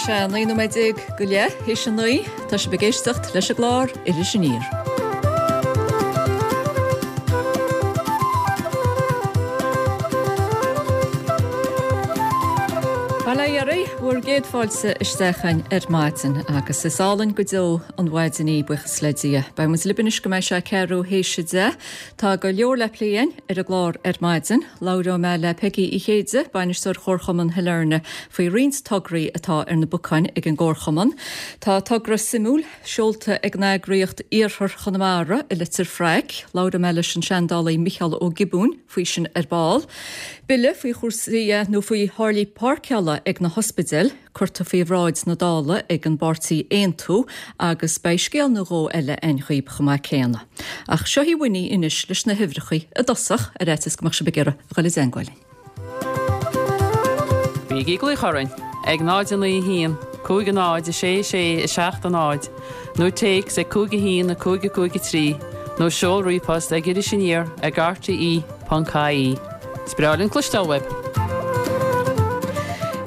sé 19 nóiméad go leith théis a 9. Tá sibh ag éisteacht leis an gclár Iris Aniar. Bail ó Dhia oraibh, bhur gcéad fáilte isteach againn ar maidin agus is álainn go deo an mhaidin í, buíochas le Dia. Beidh muid libh anois go mbeidh sé ceathrú théis a 10. Tá go leor le plé againn ar an gclár ar maidin. Labhróidh mé le Peigí Uí Chéide, Bainisteoir Chomharchumann Shailearna, faoi roinnt tograí atá ar na bacáin ag an gComharchumann. Tá togra suimiúil seolta ag an eagraíocht Iarthar Chonamara i Leitir Fraic. Labhróidh mé leis an seandálaí Micheál Ó Giobúin faoi sin ar ball. Bille faoi chúrsaí nó faoi tháillí páirceála ag na hospidéil. curtha faoi bhráid na Dála ag an bpáirtí Aontú agus beidh scéal nó dhó eile againn dhaoib chomh maith céanna. Ach seo í Winnie anois leis na huimhreachaí i dtosach, ar fhaitíos go mbeadh sibh ag iarraidh a dhul i dteangmháil linn. Bígí ag glaoch orainn ag 0 9 1 5 0 6 6 7 0 nó téacs ag 5 1 5 5 3 nó seol ríomhphost ag irisaniar ag rte.ie. Is breá linn cloisteáil uaibh!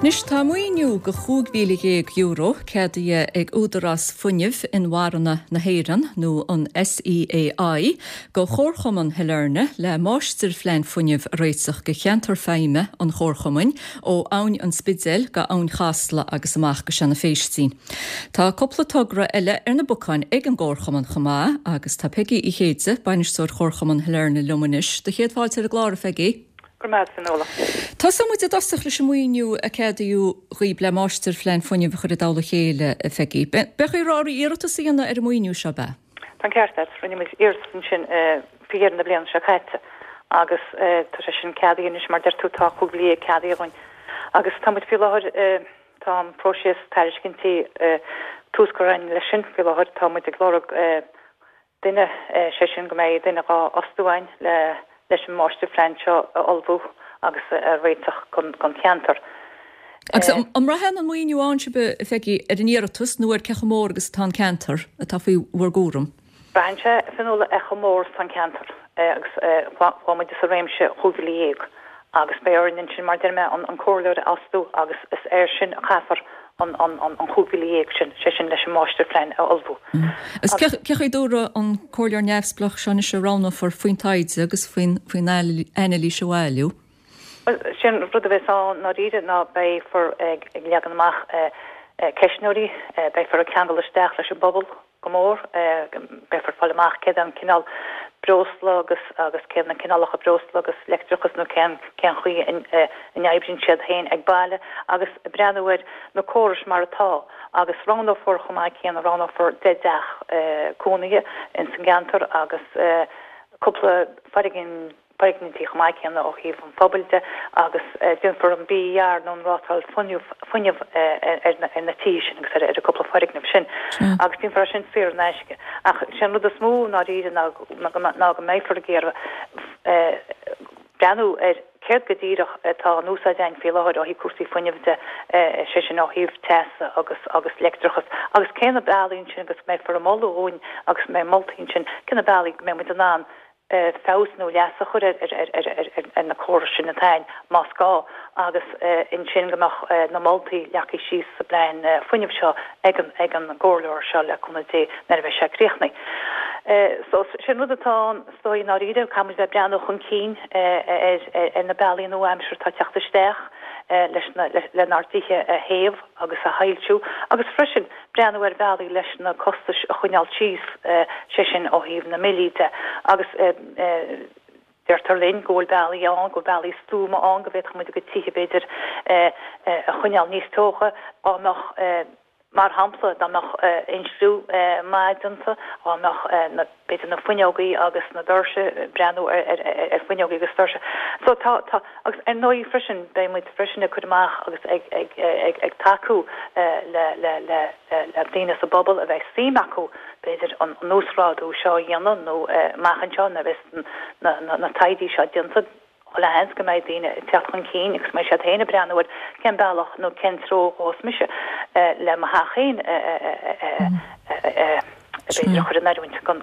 Anois tá maoiniú de €15,000 ceadaithe ag Údarás Fuinnimh Inmharthana na hÉireann, nó an SEAI, do Chomharchumann Shailearna le máistirphlean fuinnimh a réiteach do cheantar feidhme an Chomharchumainn, ó Abhainn an Spidéil go Abhainn Chasla agus amach go Seanadh Phéistín. Tá cúpla togra eile ar na bacáin ag an gComharchumann chomh maith agus tá Peigí Uí Chéide, Bainisteoir Chomharchumann Shailearna liom anois. Do chéad fáilte ar an gclár, a Pheigí. Go raibh maith agat, Fionnuala. Tosóidh muid i dtosach leis an maoiniú a ceadaíodh dhaoib le máistirphlean fuinnimh a chur i dtoll a chéile, a Pheigí. Beidh oraibh iarratas a dhéanamh ar an maoiniú seo, ab ea? Tá an ceart agat. Rinne muid iarratas ansin faoi dheireadh na bliana seo caite agus tá sé sin ceadaithe anois mar deir tú tá 15,000 ceadaithe againn agus tá muid faoi láthair tá an próiseas tairiscintí tús curtha againn leis sin faoi láthair tá muid ag lorg duine, sé sin go mbeidh duine dhá fhostú againn le leis an máistirphlean seo a ullmhú agus a réiteach don cheantar. Agus an mbraitheann an maoiniú a fhaigheann sibh, a Pheigí, ar an iarratas nó ar cé chomh mór agus atá an ceantar atá faoi bhur gcúram? Braitheann sé, a Fhionnuala, ar chomh mór is atá an ceantar agus chuaigh muid sa réimse 15,000 agus beidh orainn ansin, mar a deir mé, an comhairleoir a fhostú agus is air sin a chaithfear an 15,000 sin, sé sin leis an máistirphlean a ullmhú. Agus cé chaoi a dtabharfaidh an comhairleoir neamhspleách seo anois a roghnófar faoin taighde agus faoin anailís a bhailiú? Bhuel, sé an rud a bheas ann ndáiríre ná beifear ag leagan amach ceistneoirí, beifear ag ceangal isteach leis an bpobal go mór, beifear ag fáil amach céard é an cineál breosla agus agus céard na cineálacha breosla agus leictreachas nó cén cén chaoi a n-oibríonn siad féin ag baile agus breathnú ar na córais mar atá agus roghnófar chomh maith céanna, roghnófar 10 dteach cónaithe ins an gceantar agus cúpla foirgneamh. foirgnimh chomh maith céanna ó thaobh an phobail de agus déanfar an BER nó an rátáil fuinnimh ar na tithe sin agus ar an gcúpla foirgneamh sin agus déanfar é sin saor in aisce. Ach sé an rud is mó i ndáiríre ná ná go mbeifear ag iarraidh breathnú ar céard go díreach atá in úsáid againn faoi láthair ó thaobh cúrsaí fuinnimh de, sé sin ó thaobh teasa agus agus leictreachas agus cé na bealaí ansin agus beifear ag moladh dhúinn agus mbeidh moltaí ansin cé na bealaí go mbeidh muid in ann feabhas nó leas a chur ar na córais sin atá ann, más gá, agus ansin go mbeadh na moltaí leagtha síos sa bplean fuinnimh seo ag an gcomhairleoir seo, le cúnamh Dé, nuair a bheidh sé críochnaithe. So, sin rud atá ann, is dóigh, i ndáiríre, caithfidh muid bheith ag breathnú chun cinn ar na bealaí nua-aimseartha atá ag teacht isteach leis na, lenár dtithe a théamh agus a shoilsiú agus freisin breathnú ar bhealaí leis na costais a choinneáil síos, sé sin ó thaobh na mbillí de, agus deirtear linn go bhfuil bealaí ann, go bhfuil bealaí stuama ann go bhféadfadh muid a gcuid tithe, b'fhéidir, a choinneáil níos teocha dá mbeadh, mar shampla, dá mbeadh insliú maith déanta, dá mbeadh na. b'fhéidir na fuinneogaí agus na doirse, breathnú ar fuinneogaí agus doirse. So tá, tá, agus ar ndóigh freisin beidh muid freisin ag cur amach agus ag, ag, ag, ag tacú le, le, le, le daoine sa bpobal a bheidh suim acu b'fhéidir an uasghrádú seo a dhéanamh nó amach anseo nuair a bheas na, na, na taighde seo déanta. Chuile sheans go mbeidh daoine ag teacht chun cinn agus go mbeidh siad féin ag breathnú ar cén bealach nó cén treo a ghabhfas mise le mo theach féin b'fhéidir a chur in oiriúint don.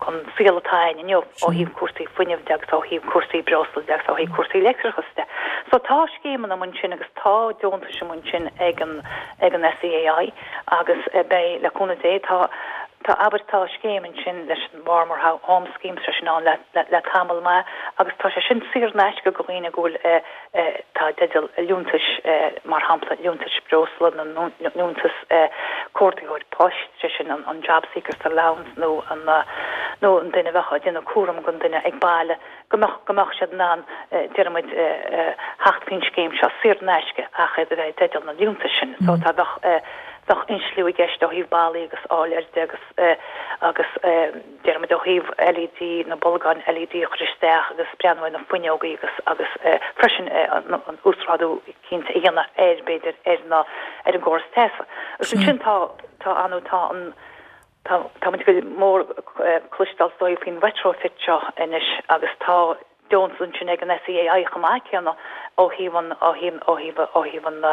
An saol atá againn inniu ó thaobh cúrsaí fuinnimh de agus ó thaobh cúrsaí breosla de agus ó thaobh cúrsaí leictreachais de. So tá scéimeanna amuigh ansin agus tá deontais amuigh ansin ag an ag an SEAI agus beidh, le cúnamh Dé, tá tá abair tá scéim ansin leis an Warmer Home Scheme, tá sé sin ann le le tamall maith agus tá sé sin saor in aisce do dhaoine go bhfuil atá i dteideal liúntais, mar shampla liúntais breosla nó liúntas cuardaitheoir poist, sé sin an Jobseeker's Allowance nó an nó an duine a bheadh ag déanamh cúram don duine ag baile, go mbeadh go mbeadh siad in ann, déarfaidh muid, theacht faoin scéim seo saor in aisce ach iad a bheith i dteideal na liúntais sin. So tá bheadh bheadh insliú i gceist ó thaobh ballaí agus fháil air de agus agus. déarfaidh muid ó thaobh LED, na bolgáin LED a chur isteach agus breathnú ar na fuinneogaí agus agus freisin an uasghrádú cinnte a dhéanamh ar, b'fhéidir, ar na, ar an gcóras teasa. Agus ansin tá, tá anú, tá an, tá, tá muid go mór cloisteáil is dóigh faoin retrofit seo anois agus tá, deontas ansin ag an SEAI chomh maith céanna ó thaobh an, ó thaobh, ó thaobh, ó thaobh an,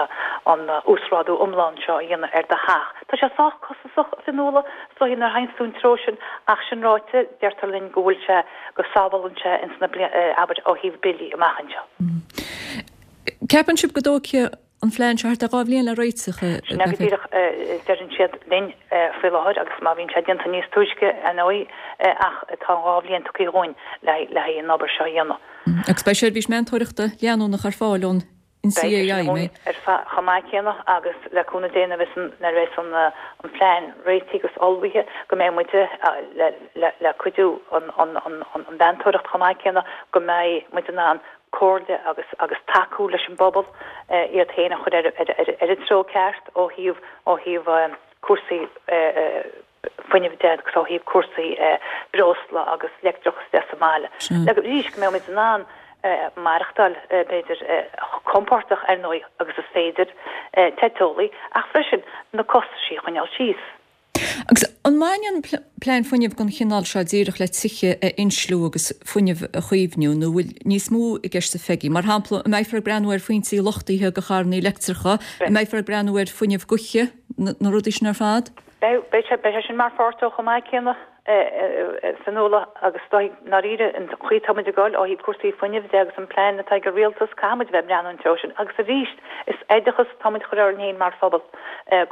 an uasghrádú iomlán seo a dhéanamh ar do theach. Tá sé sách costasach, a Fionnuala, is dóigh nuair a théanns tú an treo sin ach sin ráite, deirtear linn go bhfuil sé, go sábhálann sé ins na blianta, abair, ó thaobh billí amach anseo. Ceapann sibh go dtógfaidh an phlean seo thart ar 2 bhliain le réiteach, a Sin é go díreach a deireann siad linn faoi láthair agus má bhíonn sé déanta níos túisce, ar ndóigh, ach tá an 2 bhliain tugtha dhúinn le haghaidh an obair seo a dhéanamh. Agus beidh seirbhís meantóireachta leanúnach ar fáil ón NCAI, an mbeidh? Ar fáil chomh maith céanna agus le cúnamh Dé nuair a bheas an plean réitithe agus ullmhaithe go mbeidh muide le cuidiú an mheantóireacht chomh maith céanna go mbeidh muid in ann comhairle agus agus tacú leis an bpobal iad féin a chur ar ar an treo ceart ó thaobh ó thaobh cúrsaí fuinnimh de agus ó thaobh cúrsaí breosla agus leictreachas de sa mbaile. Le arís go mbeidh muid in ann maireachtáil b'fhéidir chomh compordach ar ndóigh agus is féidir te teolaí ach freisin na costaisí a choinneáil síos. Agus an mbaineann plean fuinnimh den chineál seo díreach le tithe a insliú agus fuinneamh a chaomhnú nó an bhfuil níos mó i gceist a Pheigí? Mar shampla, an mbeifear ag breathnú ar phointí luchtaithe do charrannaí leictreacha, an mbeifear ag breathnú ar fuinneamh gaoithe, na rudaí sin ar fad? Beidh, beidh sé, beidh sé sin mar pháirt dó chomh maith céanna. Fionnuala, agus i ndáiríre, an chaoi atá muid ag dul ó thaobh cúrsaí fuinnimh de agus an plean atá ag an rialtas, caithfidh muid a bheith ag breathnú an treo sin. Agus arís, is oideachas atá muid a chur orainn féin mar phobal,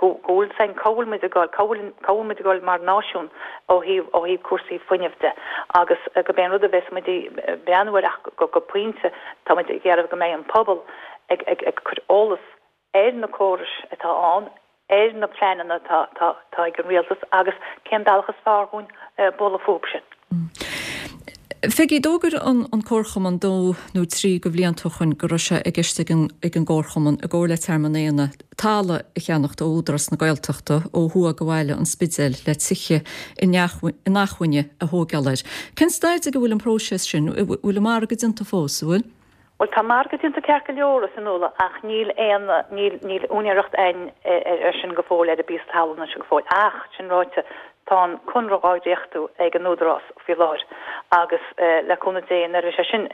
go bhfuil a fhios againn cá bhfuil muid ag dul, cá bhfuil, cá bhfuil muid ag dul mar náisiún ó thaobh, ó thaobh cúrsaí fuinnimh de. Agus gurb é an rud a bheas muid ag breathnú air ach go, go pointe, tá muid ag iarraidh go mbeidh an pobal ag, ag, ag cur eolas ar na córais atá ann, ar na pleananna atá ag an rialtas agus cén bealach is fearr dhúinn bualadh fúthu sin. Pheigí, d'fhógair an Comharchumann dó nó trí de bhlianta ó shoin go raibh sé i gceist ag an gComharchumann, i gcomhar le Tearmann Éanna, talamh a cheannacht ó Údarás na Gaeltachta ó thuaidh de bhaile an Spidéil le tithe inacmhainne a thóigeáil air. Cén staid ag a bhfuil an próiseas sin? Bhfuil an margadh déanta fós, an bhfuil? Bhuel, tá margadh déanta ceart go leor, a Fhionnuala, ach níl aon, níl, níl úinéireacht a'inn ar sin go fóill, ar an bpíosa talún sin go fóill. Ach, sin ráite, tá an conradh á dhréachtú ag an Údarás faoi láthair agus le cúnamh Dé, nuair a bheidh sé sin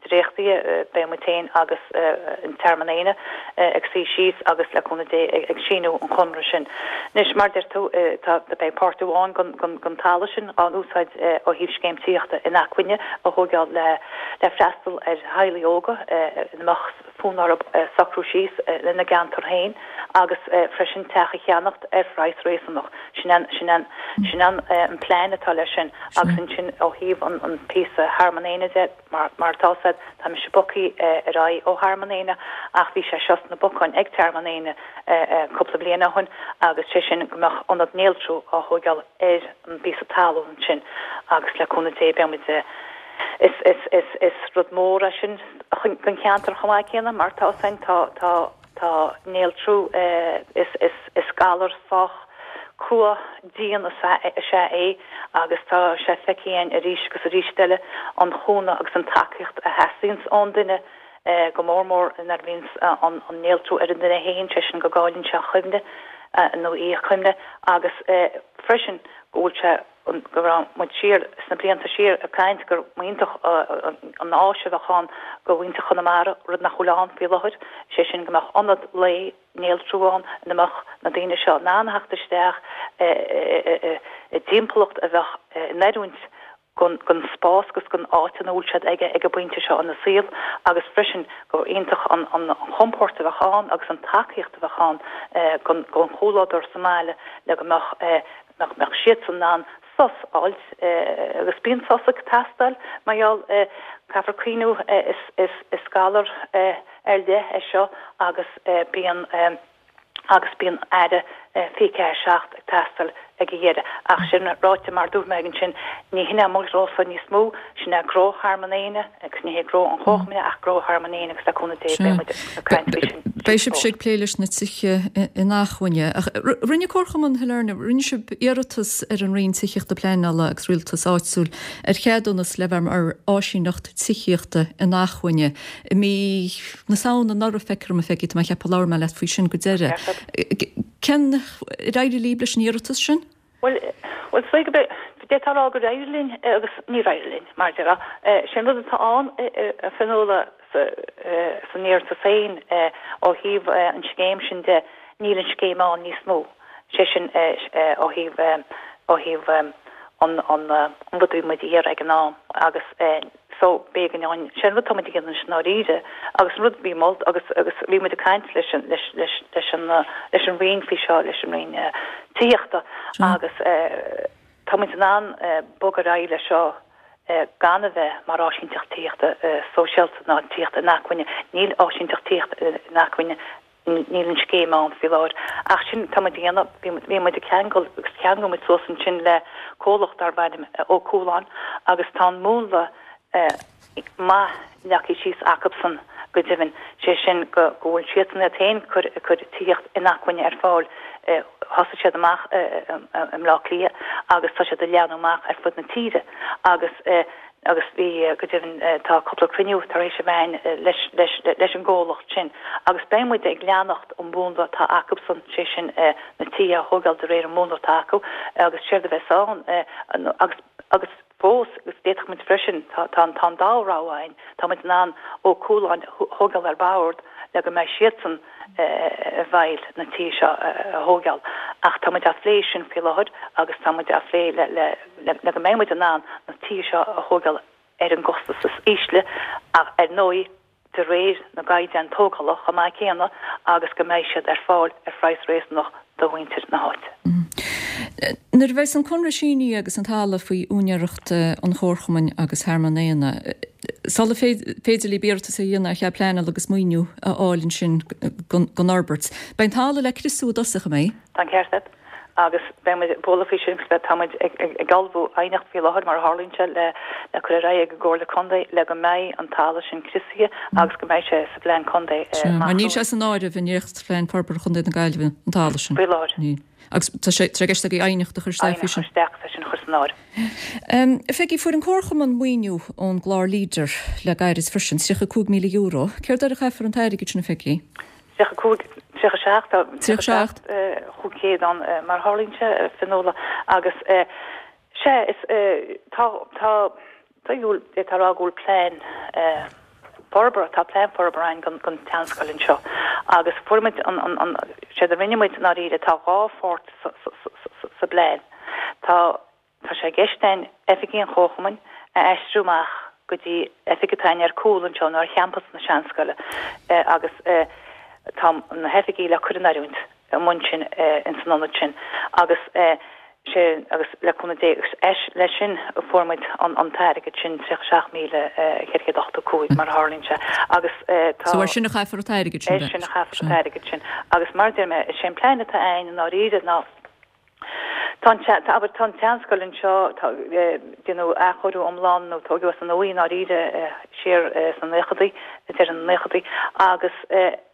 dréachtaithe, beidh muid féin agus an Tearmann Éanna ag suí síos agus le cúnamh Dé ag síniú an chonradh sin. Anois, mar a deir tú, tá, beidh páirt amháin den talamh sin á úsáid ó thaobh scéim tithíochta inacmhainne a thóigeáil le, le freastal ar theaghlaigh óga ina mbeadh fonn orthu socrú síos ina gceantar féin agus freisin teach a cheannacht ar phraghas réasúnach. Sin an, sin an, sin an plean atá leis sin agus ansin ó thaobh an, an píosa Thearmann Éanna de, mar, mar atá fhios a'd, tá mise bogtha ar aghaidh ó Thearmann Éanna ach bhí sé seo sna bacáin ag Tearmann Éanna cúpla bliain ó shin agus sé sin go mbeadh ionad néaltrú á thóigeáil ar an bpíosa talún ansin agus le cúnamh Dé beidh muid Is, is, is, is rud mór é sin don cheantar chomh maith céanna mar tá fhios a'inn, tá, tá, tá néaltrú, is, is, is galar sách crua, dian is ea, is ea é agus tá sé feicthe againn arís agus arís eile an cúnamh agus an tacaíocht a theastaíonns ón duine, go mór mór nuair a bhíonns an, an néaltrú ar an duine féin, sé sin go gcailleann sé a chuimhne nó í a cuimhne agus freisin go bhfuil sé. Go raibh muid siar sna blianta siar ag caint gur iontach an áis a bheadh ann do mhuintir Chonamara, rud nach bhfuil ann faoi láthair, sé sin go mbeadh ionad lae néaltrú ann ina mbeadh na daoine seo in ann theacht isteach i dtimpeallacht a bheadh in oiriúint don spás agus don áit ina bhfuil siad ag an bpointe seo ina saol agus freisin gur iontach an chompóirt a bheadh ann agus an tacaíocht a bheadh ann don chomhluadar sa mbaile le go mbeadh nach mbeadh siadsan in ann sos a fháilt agus bíonn sos ag teastáil mar gheall caithfear cuimhniú is galar ar leith é seo agus bíonn agus bíonn aire 24/7 ag teastáil ag a dheireadh. Ach sin ráite mar dúirt mé ansin ní hin é mo ghnósa níos mó, sin é gnó Thearmann Éanna agus ní hé gnó an Chomharchumainn ach gnó Thearmann Éanna agus le cúnamh Dé beidh muid ag caint faoi sin. Beidh sibhse ag plé leis na tithe inacmhainne. Ach rinne Comharchumann Shailearna, rinne sibh iarratas ar an Roinn Tithíochta Pleanála agus Rialtais Áitiúil ar cheadúnas le bheith mar áisíneacht tithíochta inacmhainne i mí na Samhna anuraidh, feictear dom, a Pheigí, tá mé ag ceapadh labhair mé leat faoi sin go deireadh. Cén, ar éirigh libh leis an iarratas sin? Bhuel, bhuel, is dóigh go mbeidh, d'fhéadfá a rá gur éirigh linn agus níor éirigh linn, mar a déarfá. Sé an rud atá ann, a Fionnuala, san iarratas féin, ó thaobh an scéim sin de, níl an scéim ann níos mó. Sé sin, ó thaobh, ó thaobh an, an, an rud a bhí muid a iarraidh ag an am agus, so b'éigean dúinn, sé an rud atá muid ag déanamh anois i ndáiríre agus an rud a bhí molta agus agus bhí muid ag caint leis an leis leis leis an leis an Roinn faoi seo, leis an Roinn Tithíochta agus tá muid in ann bogadh ar aghaidh leis seo gan a bheith mar áisínteacht tithíochta sóisialta ná tithíochta inacmhainne. Níl áisínteacht tithíochta inacmhainne Níl an scéim ann faoi láthair. Ach sin tá muid a dhéanamh, bhí muid ag ceangal agus cheangail muid suas ansin le comhlacht darb ainm Ó Cualáin agus tá an múnla maith leagtha síos acubsan go deimhin, sé sin go bhfuil siadsan iad féin ag cur tithíocht inacmhainne ar fáil. Thosaigh siad amach i mBleá Cliath agus tá siad ag leathnú amach ar fud na tíre agus agus bhí, go deimhin, tá cúpla cruinniú tar éis a bheith againn leis, leis, leis an gcomhlacht sin agus beidh muid ag leanacht an mhúnla atá acubsan, sé sin na tithe a thógáil de réir an mhúnla atá acu agus séard a bheas ann agus, agus fós, agus d'fhéadfadh muid freisin, tá, tá, tá an dá rogha againn, tá muid in ann Ó Cualáin a thógáil ar bord le go mbeidh siadsan i bhfeighil na tithe seo a thógáil. Ach tá muid á phlé sin faoi láthair agus tá muid á phlé le le le go mbeidh muid in ann na tithe seo a thógáil ar an gcostas is ísle ach ar ndóigh de réir na gcaighdeán tógála chomh maith céanna agus go mbeidh siad ar fáil ar phraghas réasúnach do mhuintir na háite. Nuair a bheas an conradh sínithe agus an talamh faoi úinéireacht an Chomharchumainn agus Thearmann Éanna, sula féidir libh iarratas a dhéanamh ar chead pleanála agus maoiniú a fháil ansin don fhorbairt, beidh an talamh le criosú i dtosach, an mbeidh? Tá an ceart agat. Agus beidh muid ag bualadh faoi sin agus tá muid ag ullmhú aighneacht faoi láthair, mar a tharlaíonn sé, le cur ar aghaidh ag an gComhairle Contae le go mbeidh an talamh sin criosaithe agus go mbeidh sé sa bPlean Contae amach Mar níl sé san áireamh i nDréachtphlean Forbartha Chontae na Gaillimhe, an talamh sin. Faoi láthair. Níl. Agus tá sé i gceist agaibh aighneacht a chur isteach faoi sin. Aighneacht a chur isteach, é sin a chur san áireamh. Pheigí, fuair an Comharchumann maoiniú ón gclár Leader le gairid freisin, €35,000. Céard air a chaithfear an t-airgead sin, a Pheigí? 35, 37, tá 37 500 ann mar a tharlaíonn sé, a Fionnuala, agus sea, is tá, tá, d'fhéadfá a rá go bhfuil plean forbartha, tá plean forbartha againn don, don tseanscoil anseo agus fuair muid an, an, an, séard a rinne muid i ndáiríre, tá dhá pháirt sa, sa, sa, sa bplean. Tá. Tá sé i gceist againn oifigí an Chomharchumainn a aistriú amach go dtí oifig atá againn ar cúl anseo nó ar champas na Seanscoile agus tá na hoifigí le cur in oiriúint amuigh ansin ins an ionad sin agus sé agus le cúnamh Dé agus leis sin fuair muid an t-airgead sin 37,485 mar a tharlaíonn sé agus tá So air sin a chaithfear an t-airgead sin. Air sin a chaithfear an t-airgead sin agus mar a deir mé is é an plean atá againn i ndáiríre ná Tá an, abair, tá an tseanscoil anseo, tá, déanadh athchóiriú iomlán nó tóigeadh as an nua í i ndáiríre siar sna naochadaí, ag deireadh na naochadaí, agus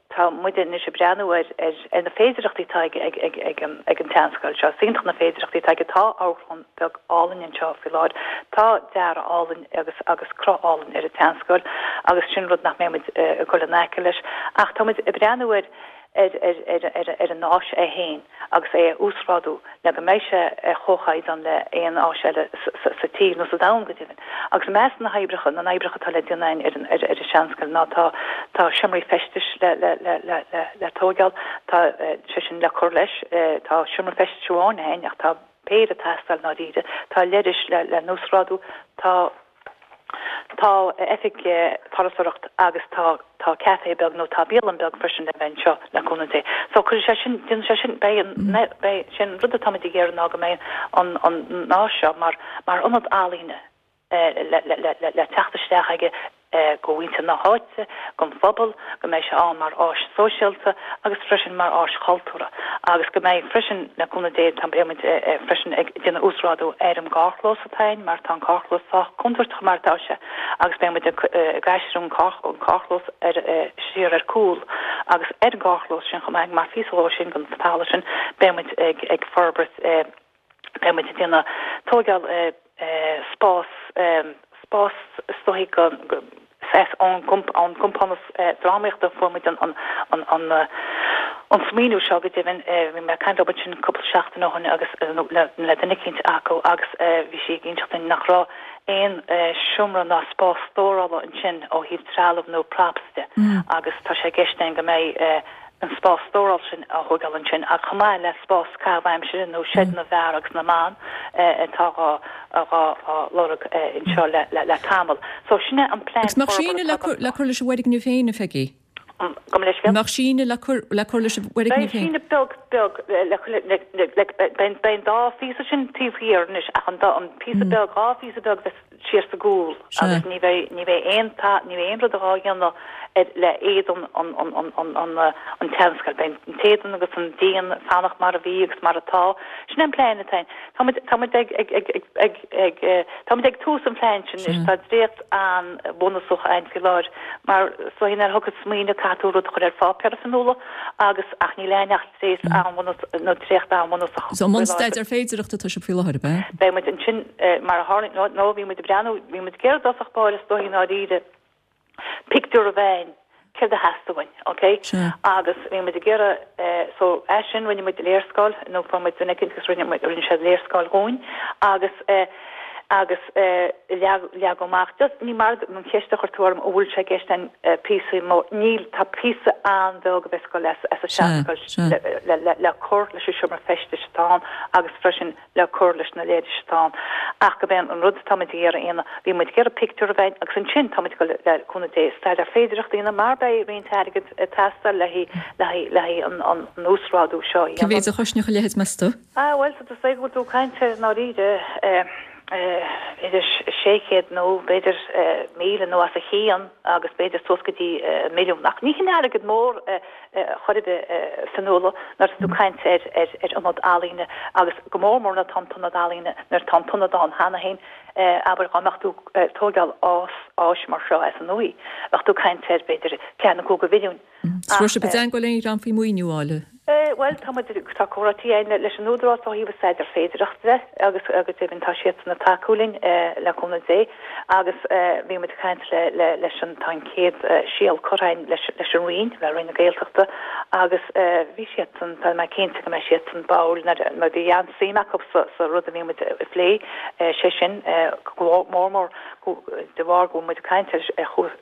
tá muide anois ag breathnú ar, ar, ar na féidireachtaí atá ag, ag, ag, ag an, ag an tseanscoil seo. Is iontach na féidireachtaí atá aige. Tá amharclann bheag álainn anseo faoi láthair. Tá dearadh álainn agus, agus cruth álainn ar an tseanscoil agus sin rud nach mbeidh muid ag dul in aice leis. Ach tá muid ag breathnú ar. ar ar ar an áis é féin agus é a uasghrádú le go mbeidh sé ar chomhchaighdeán le aon áis eile sa tír nó sa domhan go deimhin. Agus i measc na hoibreacha, na n-oibreacha atá le déanamh againn ar an ar an seanscoil ná tá tá seomraí feistis le le le le le le tóigeáil, tá sé sin le cur leis, tá seomra feistis amháin againn ach tá péire ag teastáil i ndáiríre, tá leithris le le n-uasghrádú, tá. Tá oifig turasóireacht agus tá tá café beag nó tá bialann beag freisin le bheith anseo le cúnamh Dé. So cuirfidh sé sin, déanfaidh sé sin, beidh an, beidh, sé an rud atáimid ag iarraidh ná go mbeidh an an áis seo mar mar ionad ealaíne le le le le teacht isteach aige go mhuintir na háite, gon phobal, go mbeidh sé ann mar áis sóisialta agus freisin mar áis chultúrtha agus go mbeidh freisin, le cúnamh Dé, tá beidh muid freisin ag déanamh uasghrádú ar an gcarrchlós atá ann mar tá an carrchlós sách contúirteach mar atá sé agus beidh muid ag aistriú an carrchlós ar siar ar cúl agus ar an gcarrchlós sin chomh maith mar phíosa dhó sin den talamh sin beidh muid ag forbairt Beidh muid ag déanamh tóigeáil spás, spás is dóichí go, as ón gcompánas drámaíochta a fuair muid an an smaoineamh seo go deimhin. Bhí mé ag caint leo ansin cúpla seachtain ó shin agus le duine eicínt acu agus bhí sí ag inseacht dúinn nach raibh aon seomra ná spás stórála ansin ó thaobh trealamh nó props de agus tá sé i gceist againn go mbeidh an spás stórála sin á thóigeáil ansin ach chomh maith le spás caitheamh aimsire nó seid na bhfear agus na mban atá dhá lorg anseo le tamall. So sin é an plean Agus mbeadh síneadh le cur leis an bhfoirgneamh féin, a Pheigí? Gabh mo leithscéal? Mbeadh síneadh le cur le cur leis an bhfoirgneamh féin? Beidh síneadh beag beag le le beidh an dá phíosa sin taobh thiar anois ach an an píosa beag, dhá phíosa beag bheas siar sa gcúl agus ní bheidh, ní bheidh aon, ní bheidh aon rud dhá dhéanamh ar, le éadan an, an, an, an, an, an tseanscoil. Beidh an t-éadan agus an díon ag fanacht mar a bhí agus mar atá. Sin é an plean atá ann. Tá muid, tá muid ag, ag, ag, ag, ag, ag, tá muid ag tús an phlean sin anois. Tá dréacht an-bhunúsach ann faoi láthair mar is dóichí nuair a thiocfas smaoineamh caithfidh tú rud a chur ar pháipéar a Fionnuala agus, ach níl ann ach dréacht an-bhunúsach, nó dréacht an-bhunúsach So i mbun staidéar féidearthachta atá sibh faoi láthair, ab ea? Beidh muid ansin, mar a tharlaíonn, nó bhí muid ag breathnú, bhí muid ag iarraidh i dtosach báire is dóichí i ndáiríre, pictiúr a bheith ann, céard a theastaigh uainn, ok? Agus bhí muid ag iarraidh, so as sin rinne muid léarscáil, nó fuair muid duine eicínt agus rinne muid, rinne siad léarscáil dhúinn agus agus leagadh amach, just ní mar an cheist a chuir tú orm an bhfuil sé i gceist againn píosa mór, níl, tá píosa an-bheag a bheas ag dul as an seanscoil le cur leis an seomra feistis atá ann agus freisin le cur leis na leithris atá ann. Ach gurb é an rud atá muid ag iarraidh a dhéanamh, bhí muid ag iarraidh pictiúr a bheith ann agus ansin tá muid ag dul le cúnamh Dé staidéar féidearthachta a dhéanamh mar beidh roinnt airgid ag teastáil le haghaidh an uasghrádú seo a dhéanamh. Cé mhéid a chosnódh a leithéid, meas tú? Ah, bhuel, is dóigh go bhfuil tú ag caint ar i ndáiríre idir 600 nó b'fhéidir 1,000 nó os a chionn agus b'fhéidir suas go dtí milliún. Ach ní hin airgead mór chor ar bith, a Fionnuala, nuair atá tú ag caint ar ar ionad ealaíne agus go mór mór nuair atá an t-ionad ealaíne, nuair atá an t-ionad ann cheana féin, abair dá mbeadh tú ag tóigeáil áis mar seo as an nua, bheadh tú ag caint ar b'fhéidir ceathair nó 5 mhilliún. An raibh sibh i dteangmháil le aon dhream faoi mhaoiniú a fháil? Bhuel, tá muid, tá comhráití againn leis an Údarás ó thaobh an staidéar féidearthachta de agus go deimhin tá siadsan ag tacú linn le cúnamh Dé agus bhí muid ag caint le, le, leis an, tá an chéad síol curtha againn leis, leis an Roinn, le Roinn na Gaeltachta agus bhí siadsan, tá mé cinnte go mbeidh siadsan báúil nuair, mar bhí an-suim acu sa, sa rud a bhí muid ag plé, sé sin go mór mór de bharr go bhfuil muid ag caint ar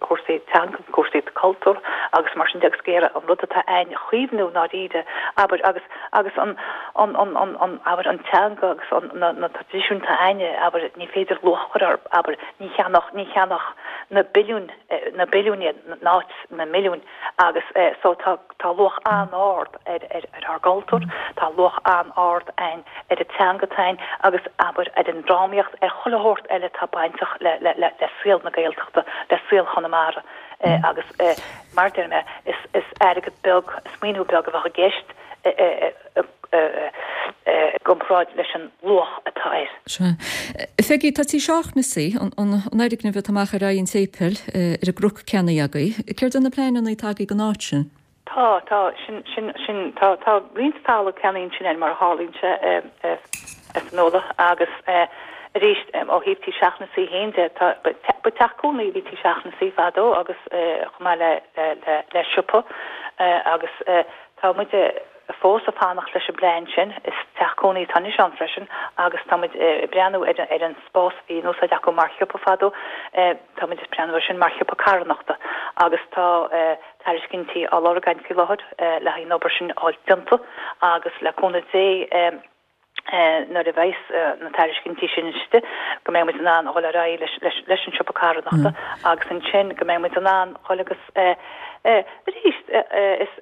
chúrsaí teanga, cúrsaí cultúir agus mar sin de agus ag iarraidh an rud atá a'ainn a chaomhnú i ndáiríre, abair, agus agus an an an an an abair an teanga agus an na na traidisiúin atá a'ainne, abair, ní féidir luach a chur orthu, abair, ní cheannódh ní cheannódh na billiúin na billiúin iad in áit na milliúin agus so tá Tá luach an-ard ar ár gcultúr, tá luach an-ard a'ainn ar an teanga atá a'ainn agus, abair, ar an drámaíocht, ar chuile shórt eile atá bainteach le saol na Gaeltachta, le saol Chonamara agus, mar a deir mé, is airgead beag, is maoiniú beag a bheadh i gceist i gcomparáid leis an luach atá air. Sea. Pheigí, tá Tí Seachnasaigh, an fhoirgneamh atá amach ar aghaidh an tséipéil, ar an gcnoc ceannaithe agaibh. Céard é na pleananna atá agaibh don áit sin? Tá, tá, sin, sin, sin, tá, tá roinnt talamh ceannaithe ansin a'ainn mar a tharlaíonn sé, a Fhionnuala, agus arís, ó thaobh Tí Seachnasaigh féin de, tá, ba teach cónaí a bhí Tí Seachnasaigh fadó agus chomh maith le, le, le, le siopa agus. Tá muid fós ag fanacht leis an bplean sin. Is teach cónaí atá anois ann freisin agus tá muid ag breathnú ar ar an spás a bhí in úsáid acu mar shiopa fadó, tá muid ag breathnú air sin mar shiopa carthanachta agus tá tairiscintí á lorg againn faoi láthair le haghaidh an obair sin a fháil déanta agus le cúnamh Dé nuair a bheas na tairiscintí sin istigh, go mbeidh muid in ann a dhul ar aghaidh leis an siopa carthanachta agus ansin go mbeidh muid in ann dhul agus arís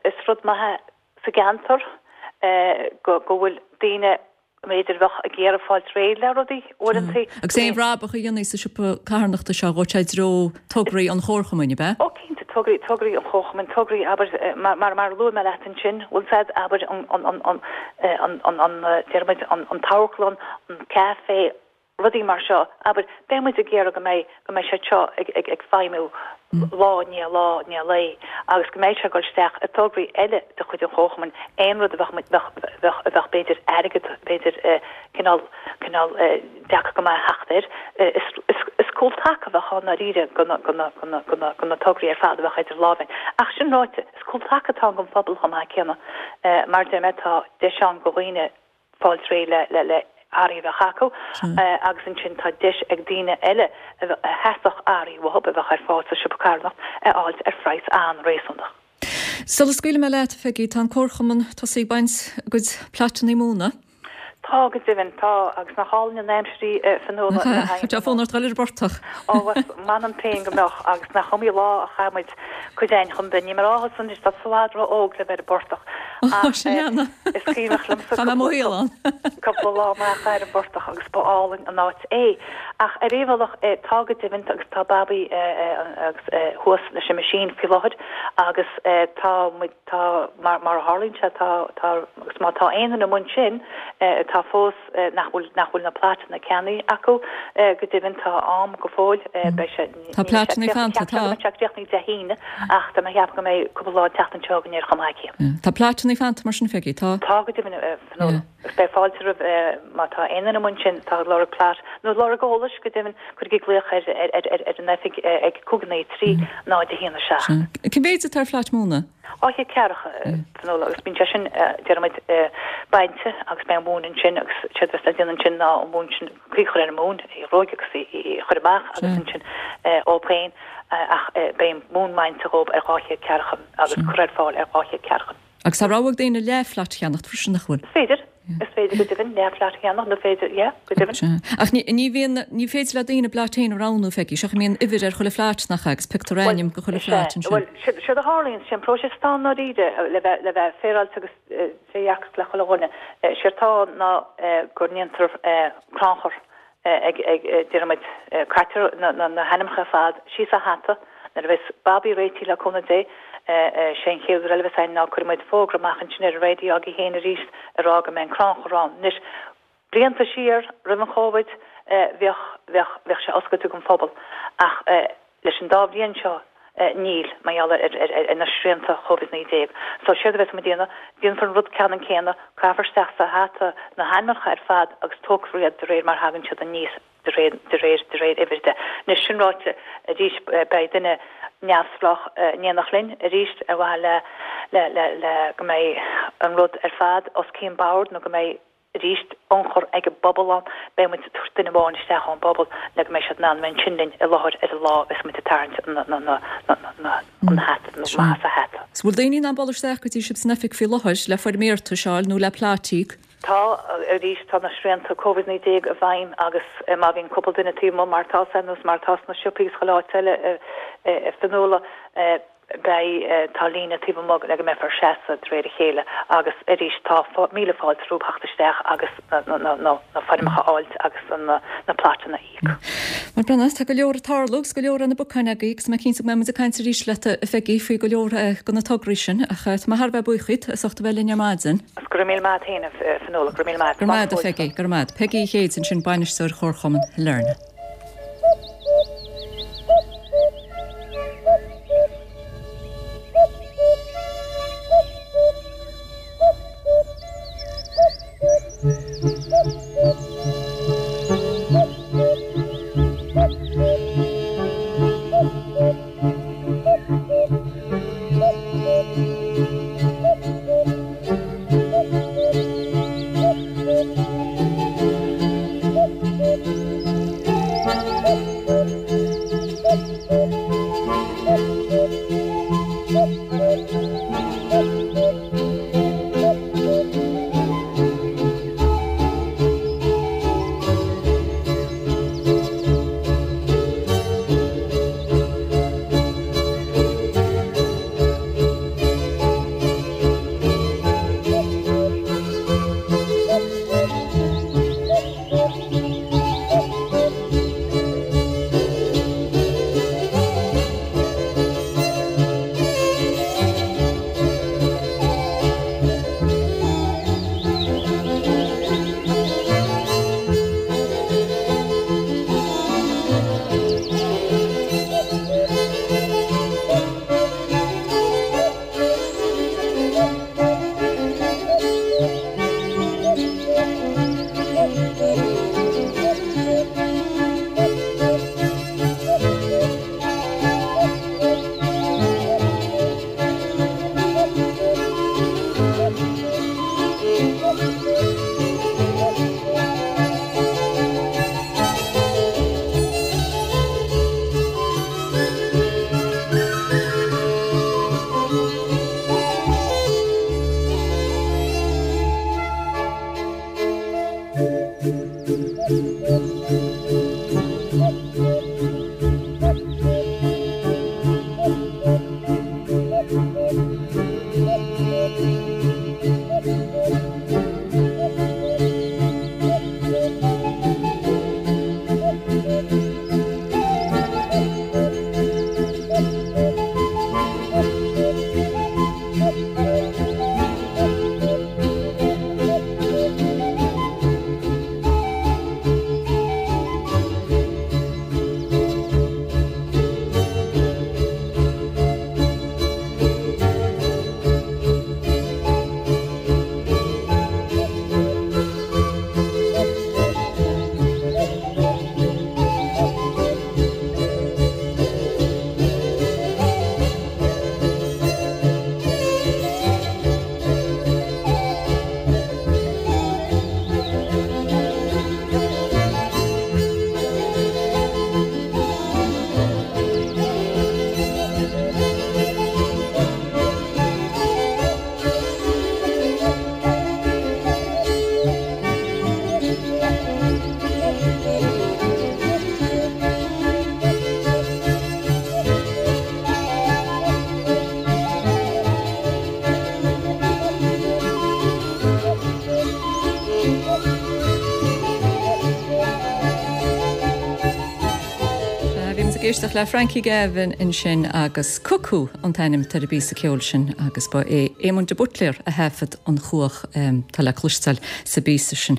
is rud maith é sa gceantar go bhfuil daoine b'fhéidir a bheadh ag iarraidh fáilt réidh le rudaí uaireanta. Agus aon bhrabach a dhéanfaí sa siopa carthanachta seo, ghabhfadh sé i dtreo tograí an Chomharchumainn, ab ea? Ó cinnte, tograí, tograí an Chomharchumainn, tograí, abair, mar, mar, mar a luaigh mé leat ansin, bhfuil 's a'd, abair, an, an, an, an, an, an, an, déarfaimid, an, an t-amharclann, an café, rudaí mar seo, abair, beidh muid ag iarraidh go mbeidh, go mbeidh siad seo ag, ag, ag feidhmiú lá i ndiaidh lá i ndiaidh lae agus go mbeidh sé ag dul isteach i dtograí eile de chuid an Chomharchumainn, aon rud a bheadh muid, bheadh, bheadh, a bheadh b'fhéidir airgead, b'fhéidir cineál, cineál deacair go maith a theacht air. Is, is, is cúl taca a bheadh ann ndáiríre do na, do na, do na, do na, do na tograí ar fad a bheadh idir lámha againn. Ach sin ráite, is cúl taca atá ann don phobal chomh maith céanna. Mar a deir mé, tá deis ann do dhaoine fáilt réidh le, le, le earraí a bheadh acu agus ansin tá deis ag daoine eile a theastódh earraí uathu a bheadh ar fáil sa siopa carthanachta a fháilt ar phraghas an-réasúnach. Sula scaoilfidh mé leat, a Pheigí, tá an Comharchumann tosaithe ag baint a gcuid plaitanna móna. Tá, go deimhin, tá, agus nach álainn an aimsir í, a Fionnuala, le haghaidh. Tá fonn ort dul ar an bportach. Ó, m'anam féin go mbeadh, agus nach iomaí lá a chaith muid cuid againn chun bheith, níl mé ag rá thusa anois, tá tú i bhfad ró-óg le bheith ar an bportach, ach is cuimhneach liomsa Chaith mé mo shaol ann. cúpla lá amach ar an bportach agus ba álainn an áit é. Ach ar aon bhealach, tá go deimhin, agus tá Babaí agus thuas leis an meaisín faoi láthair agus tá muid, Tá, mar mar a tharlaíonn sé, tá, tá, agus má tá aon duine amuigh ansin atá fós, nach bhfuil, nach bhfuil na plaitanna ceannaithe acu, go deimhin tá am go fóill, beidh sé, Tá plaitanna fanta, tá. Beidh sé críochnaithe Dé hAoine ach tá mé ag ceapadh go mbeidh cúpla lá an tseachtain seo chugainn air chomh maith céanna. Tá plaitanna fanta mar sin, Pheigí, tá? Tá, go deimhin, a Fionnuala. Agus beidh fáilte roimh má tá aon duine amuigh ansin atá ag lorg plait nó ag lorg eolais, go deimhin, cuirigí glaoch ar ar an oifig ag 5 9 3 0 1 7. Cén mhéid atá ar phlait móna? 200 ceathracha, Fionnuala, agus bíonn sé sin, déarfaimid, bainte agus beidh an mhóin ansin agus séard a bheas le déanamh ansin ná an mhóin sin, caoi a chur ar an móin, í a ghruaig agus í a chur amach agus ansin dhóibh féin ach beidh an mhóin bainte dhóibh ar 200 ceathracha agus curtha ar fáil ar 200 ceathracha. Agus tá rogha ag daoine leathphlat a cheannacht freisin, nach bhfuil? Is féidir. Is féidir go deimhin, leathphlat a cheannacht, nó féidir, yeah, go deimhin. Sea. Ach ní, ní bhíonn, ní féidir le daoine a bplait féin a roghnú, Pheigí. Seo, mbíonn uimhir ar chuile phlait, nach ea, agus pioctar ainm go chuile phlat ansin. Bhuel, séard a tharlaíonn, sé an próiseas atá ann ndáiríre, le bheith, le bheith féaráilte agus trédhearcach le chuile dhuine, séard atá ann ná go ndéantar crannchur ag, déarfaimid, caitear na hainmneacha ar fad síos sa hata nuair a bheas Babaí réitithe le cúnamh Dé. Sé an chéad rud eile a bheas againn ná cuirfidh muid fógra amach ansin ar an raidió agaibh féin arís ag rá go mbeidh an crannchur ann. Anois, blianta siar, roimh an Chóvid, bheadh, bheadh, bheadh sé oscailte don phobal ach leis an dá bhliain seo, Níl, mar gheall ar na srianta Covid 19. So, séard a bheas muid a dhéanamh, déanfar an rud ceannann céanna, caithfear isteach sa hata na hainmneacha ar fad agus tógfar iad de réir mar thagann siad aníos, de réir, de réir, de réir uimhir de. Anois, sin ráite, arís, beidh duine neamhspleách in éineacht linn arís ar mhaithe le, le, le, le go mbeidh an rud ar fad os cionn bord nó go mbeidh, arís, ionchur ag an bpobal ann. Beidh muid ag tabhairt duine amháin isteach ón bpobal le go mbeidh siad in ann a bheith ansin linn i láthair ar an lá a bheas muid ag tarraingt an hata nó amach as an hata. So bhfuil daoine in ann dul isteach go dtí sibh san oifig faoi láthair le foirm iarratais a fháil nó le plait a íoc? Tá, arís, tá na srianta Covid 19 i bhfeidhm agus má bhíonn cúpla duine taobh amuigh mar atá ar nós mar atá sna siopaí agus chuile áit eile a Fionnuala, Beidh, tá líne taobh amuigh le go mbeifear ag seasamh de réir a chéile agus arís tá míle fáilte rompu theacht isteach agus na foirmeacha a fháilt agus na plaitanna a íoc. Bhuel, Brenna, tá go leor ag tarlú agus go leor ar na bacáin agaibh agus tá mé cinnte go mbeidh muid ag caint arís leat, a Pheigí, faoi go leor de na tograí sin ach tá mé thar a bheith buíoch díot as ucht a bheith linn ar maidin. Go raibh míle maith agat féin, a Fionnuala, go raibh míle maith agat. Go raibh maith agat, a Pheigí, go raibh maith agat. Peigí Uí Chéide ansin, Bainisteoir Chomharchumann Shailearna. ag éisteacht le Frankie Gavin ansin agus Cuckoo an t-ainm atá ar an bpíosa ceoil sin agus ba é Éamonn de Buitléar a thaifead an chuach atá le cloisteáil sa bpíosa sin.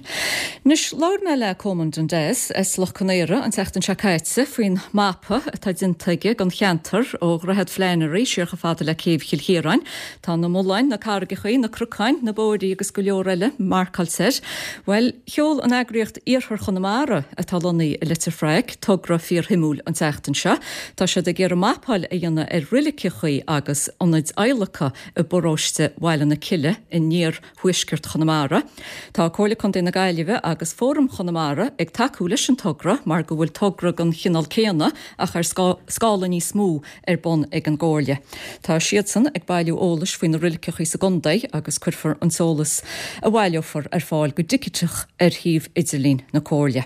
Anois, labhair mé le Colman Dundas as Loch Conaora an tseachtain seo caite faoin mapa atá déanta aige den cheantar ó Dhroichead Flannery siar chomh fada le Céibh Chill Chiaráin. Tá na mulláin, na carraigeachaí, na cnocáin, na bóithrí agus go leor eile marcáilte air. Bhuel, sheol an eagraíocht Iarthar Chonamara, atá lonnaithe i Leitir Fraic, togra fíorshuimiúil an tseachtain seo. Tá siad ag iarraidh mapáil a dhéanamh ar reiligeachaí agus ionaid adhlactha i bparóiste Bhaile na Cille in iarthuaisceart Chonamara. Tá Comhairle Contae na Gaillimhe agus Fóram Chonamara ag tacú leis an togra mar go bhfuil togra den chineál céanna ach ar scála níos mó ar bun ag an gComhairle. Tá siadsan ag bailiú eolais faoi na reiligeachaí sa gcontae agus cuirfear an t-eolas a bhaileofar ar fáil go digiteach ar shuíomh idirlín na Comhairle.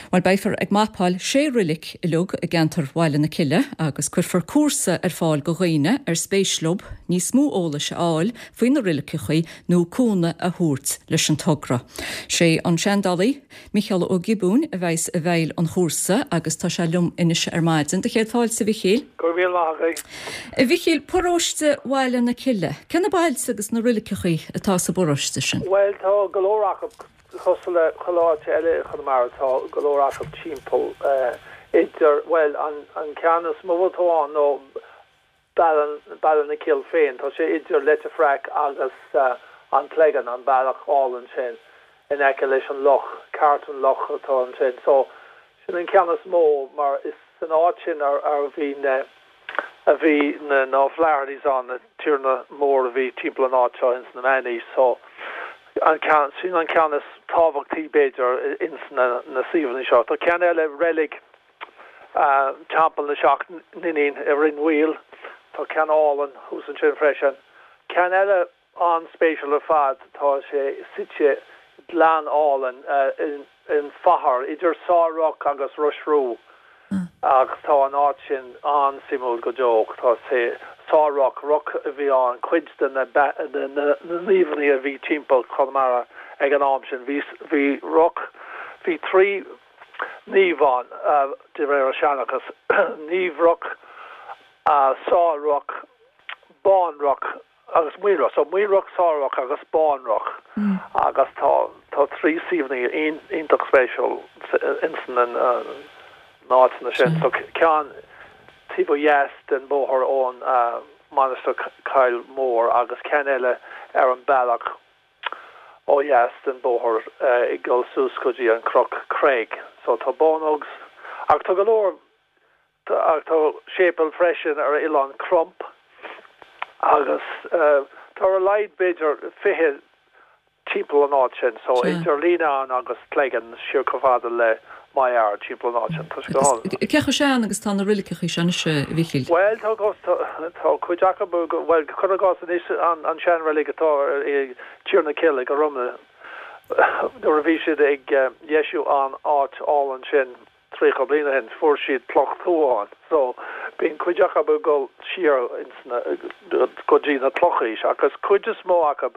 Bhuel, beifear ag mapáil sé reilig uilig i gceantar Bhaile na Cille agus cuirfear cúrsa ar fáil go dhaoine ar spéis leo níos mó eolais a fháil faoi na reiligeachaí nó cúnamh a thabhairt leis an togra. Sé an seandálaí, Mícheál Ó Giobúin a bheas i bhfeighil an chúrsa agus tá sé liom anois ar maidin. Do chéad fáilte, a Mhichíl. Go raibh míle maith agat. A Mhichíl, paróiste Bhaile na Cille, cé na bailte agus na reiligeachaí atá sa bparóiste sin? Bhuel, tá go leor acu, cosúil le chuile áit eile i Chonamara, tá go leor acu timpeall idir, bhuel, an ceann is mó atá ann nó Baile na Cille féin. Tá sé idir Leitir Fraic agus an Cleggan, an bealach álainn sin in aice leis an loch, Carton Lough atá ansin. So, sin an ceann is mó mar is san áit sin a bhí na, a bhí na, na O'Flahertys ann, na tiarna mór a bhí timpeall an áit seo ins na Meánaois. So, an ceann, sin an ceann is tábhachtaí b'fhéidir ins na, na suíomhanna seo. Tá ceann eile, reilig, Teampall na Seacht nIníon i Rinn Mhaoil. Tá ceann álainn thuas ansin freisin. Ceann eile an-spéisiúil ar fad, tá sé suite i ngleann álainn in Faithear, idir Sá Roc agus Ros Rú. Ach tá an áit sin an-suimiúil go deo. Tá sé, Sá Roc, roc a bhí ann, cuid de na naomhanna a bhí timpeall Chonamara ag an am sin. Bhí, bhí roc, bhí trí. Naomh ann, de réir an seanchas, Naomh Roc, Sá Roc, Bán Roc agus Maol Roc. So Maol Roc, Sá Roc agus Bán Roc agus tá tá trí suíomhanna iontach spéisiúil ins na n-áiteanna sin. So ceann taobh ó dheas den bóthar ón Mainistir Coill Mhór agus ceann eile ar an bealach ó dheas den bóthar ag dul suas go dtí an cnoc Craig. So tá Bawnogues ach tá go leor ach tá séipéal freisin ar Oileán Crump agus tá ar a laghad b'fhéidir 20 timpeall an áit sin. So idir Leenane agus Cleggan siar chomh fada le Maigh Ard timpeall an áit sin. Tá sé go hálainn. Cé chomh sean agus tá na reiligeachaí seo anois, a Mhichíl? Bhuel, tá, tá cuid acu, bhuel, cuir i gcás anois an seanreilig atá i Tír na Cille i Garumna, nuair a bhí siad ag dheisiú an áit álainn sin 30 bliain ó shin, fuair siad cloch tuath ann. So, bíonn cuid acu ag dul siar ins na, go dtí na clochaois, ach is cuid is mó acu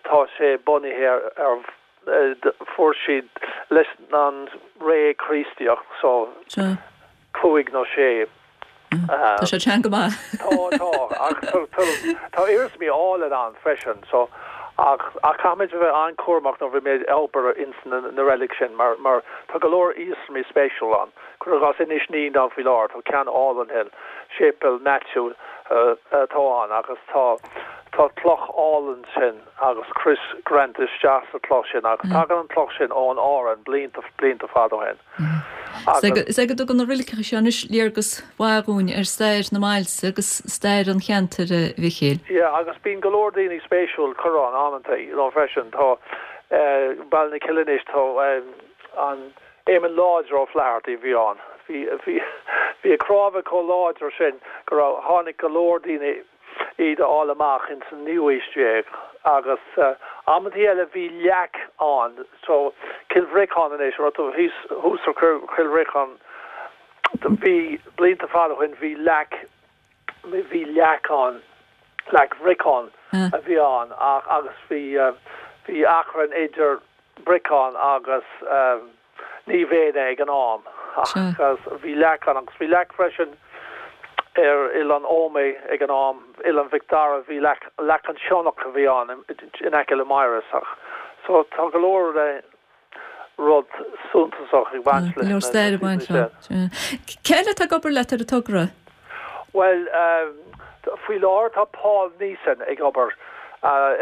tá sé bunaithe ar, ar fuair siad leis an ré Críostaíoch so cúig nó sé. Tá sé sean go maith. Tá, tá, ach tá iarsmaí álainn ann freisin so ach ach caithfimid a bheith an-chúramach nuair a bhímid ag obair ins na na reilig sin mar mar tá go leor iarsmaí spéisiúil ann. Cuir i gcás Inis Nín ann faoi láthair, tá ceann álainn thall, Séipéal Maitiú atá ann agus tá tá cloch álainn sin. agus crois greanta isteach sa chloch sin agus tagann an cloch sin ón Árainn blianta, blianta fada ó shin. Agus. Is é go dtugann na reiligeacha seo anois léargas mhaith dhúinn ar stair na mbailte agus stair an cheantair, a Mhichíl. Yeah, agus bíonn go leor daoine spéisiúil curtha ann amanta, you know, freisin. Tá Baile na Cille anois, tá an Éamonn Láidir Ó Flathartaigh a bhí ann. Bhí, bhí, bhí a chnámha chomh láidir sin go raibh, tháinig go leor daoine, iad a fháil amach ins an naoú haois déag agus amantaí eile bhí leac ann so Cill Bhriocáin anois rud thíos thuas ar Chill Bhriocáin bhí blianta fada ó shin bhí leac bhí leac ann leac Bhriocáin a bhí ann ach agus bhí bhí achrann idir Briocán agus Naomh Éanna ag an am. Ach bhí leac ann agus bhí leac freisin ar Oileán Ómaigh ag an am, Oileán Mhic Dara, bhí leac, leac an Sionnach a bhí ann in aice le Maighros ach so tá go leor rud suntasach ag baint leis na stair ag baint leo. Cé eile atá ag obair leat ar an togra? Bhuel, faoi láthair tá Paul Neeson ag obair.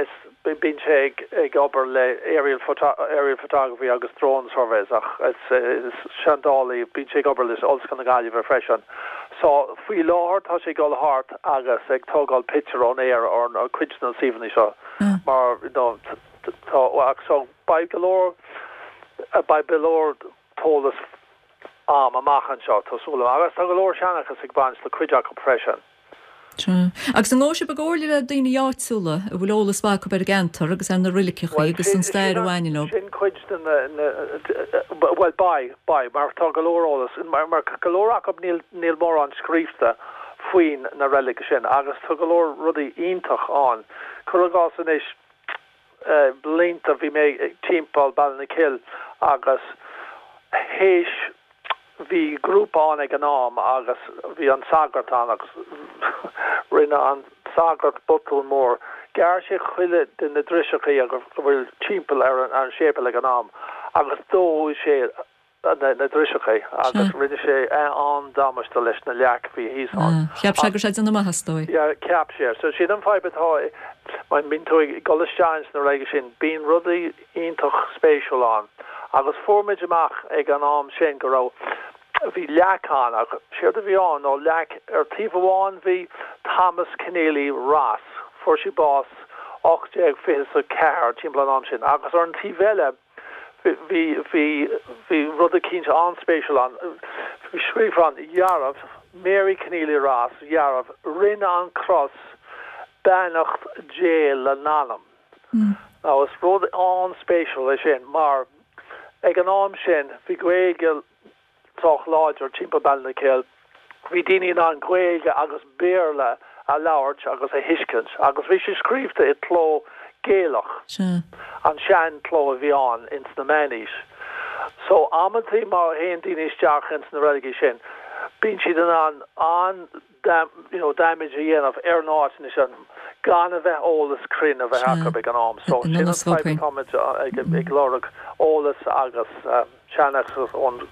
Is bíonn sé ag obair le aerial aerial photography agus drone surveys ach is seandálaí, bíonn sé ag obair le Ollscoil na Gaillimhe freisin. So faoi láthair tá sé ag dul thart agus ag tógáil pictiúr ón aer ar cuid de na suíomhanna seo mar you know tá ach so Beidh go leor, beidh go leor t-eolas a'm amach anseo, tá súil agam. Agus tá go leor seanchas ag baint le cuid acu freisin. Sea. Agus an ngabhfaidh sibh i gcomhairle le daoine áitiúla a bhfuil eolas mhaith acu ar an gceantar agus ar na reiligeachaí agus an stair a bhaineann leo? Sin cuid de na, na, bhuel beidh, beidh, mar tá go leor eolas, mar, mar go leor acu níl, níl mórán scríofa faoin na reilig sin agus tá go leor rudaí iontach ann. Cuir i gcás anois, blianta bhí mé timpeall Ballinakill agus théis bhí grúpa ann ag an am agus bhí an sagart ann agus rinne an sagart botún mór. Ghearr sé chuile de na driseachaí a bhfuil timpeall ar an séipéal ag an am agus dóigh sé na driseachaí agus rinne sé an-damáiste leis na leac a bhí thíos ann. Cheap sé go raibh sé ag déanamh maith is dóigh. Yeah, cheap sé. So sin an fadhb atá, má bíonn tú ag dul isteach ins na reiligí sin, bíonn rudaí iontach spéisiúil ann. Agus fuair muid amach ag an am sin go raibh, bhí leac ann ach séard a bhí ann ná leac, ar taobh amháin bhí Thomas Keneally Ross, fuair sé bás 1824, timpeall an am sin, agus ar an taobh eile, Bhí, bhí, bhí rud eicínt an-spéisiúil ann. Bhí scríofa ann, Dhearbh, Mary Keneally Ross, Dhearbh, rinne an cros beannacht Dé le n-anam. Now is rud an-spéisiúil é sin mar ag an am sin bhí Gaeilge sách láidir timpeall Ballinakill. Bhí daoine in ann Gaeilge agus Béarla a labhairt agus a thuiscint agus bhí sé scríobhta i cló Gaelach, an sean cló a bhí ann ins na meánaois. So amantaí má théann daoine isteach ins na reiligí sin bíonn siad in ann an you know damage a dhéanamh ar an áit ansin gan a bheith eolas cruinn a bheith acu ag an am. So sin an fadhb atáimid ag lorg eolas agus seanchas ón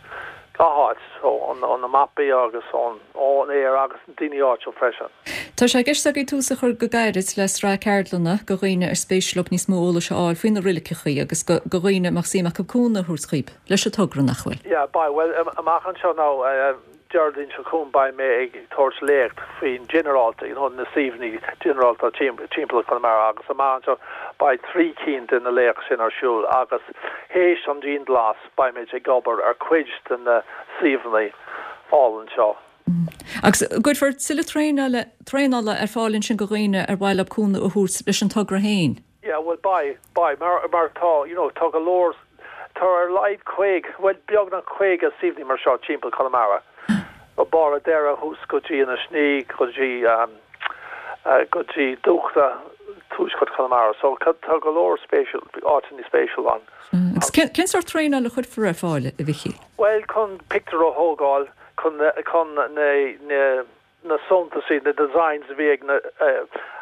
gach áit, ó na mapaí agus ón aer agus na daoine áitiúil freisin. Tá sé i gceist agaibh tús a chur go gairid le sraith ceardlanna do dhaoine ar spéis leo níos mó eolais a fháil faoi na reiligeachaí agus do dhaoine a mbeadh suim acu cúnamh a thabhairt dhaoib leis an togra, nach bhfuil? Yeah, beidh. Bhuel, amach anseo now, Déardaoin seo chugainn beidh mé ag tabhairt léacht faoin ginearálta, you know, na suíomhanna ginearálta timpeall Chonamara agus amach anseo beidh 3 cinn de na léacht sin ar siúl agus théis an dianghlas beimid ag obair ar cuid de na suíomhanna álainn seo. Agus an gcuirfear tuilleadh traenála traenála ar fáil ansin do dhaoine ar mhaith leo cúnamh a thabhairt leis an togra féin? Yeah, bhuel beidh, beidh, mar, mar tá, you know, tá go leor, tá ar a laghad 50, bhuel beagnach 50 suíomhanna mar seo timpeall Chonamara, ó Barr a' Doire thuas go dtí Inis Ní, go dtí, go dtí Dúchta, tuaisceart Chonamara, so tá go leor spéisiúil, áiteanna spéisiúil ann. Agus cén, cén sórt traenáil a chuirfear ar fáil, a Mhichíl? Bhuel, chun pictiúr a thógáil, chun, chun na, na, na suntasaí, na designs a bhí ag na,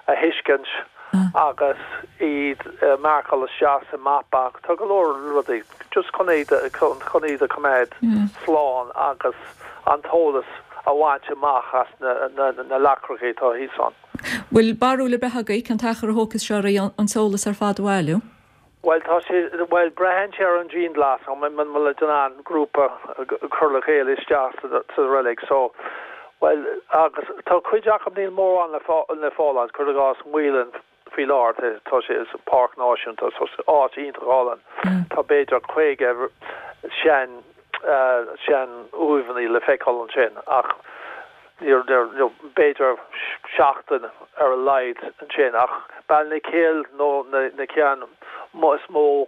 a thuiscint agus iad a mharcáil isteach sa mapa. Tá go leor rudaí just chun iad, chun iad a choimeád slán agus an t-eolas a bhaint amach as na, na, na leacracha atá thíos ann. Bhfuil barúil ar bith agaibh cén t-achar a thógfas sé oraibh an t-eolas ar fad a bhailiú? Bhuel, tá sé, bhuel, braitheann sé ar an dianghlas, an bhfuil muid in ann grúpa a chur le chéile isteach sa reilig, so, bhuel, agus tá cuid acu níl mórán le le fáil ann, cuir i gcás Maolann faoi láthair, tá sé, is páirc náisiúnta, so áit iontach álainn, tá b'fhéidir 50 sean, sean uaimheanna le feiceáil ansin ach níor, níor, b'fhéidir seachtain ar a laghad ansin ach Ballinakill nó na, na ceann is mó.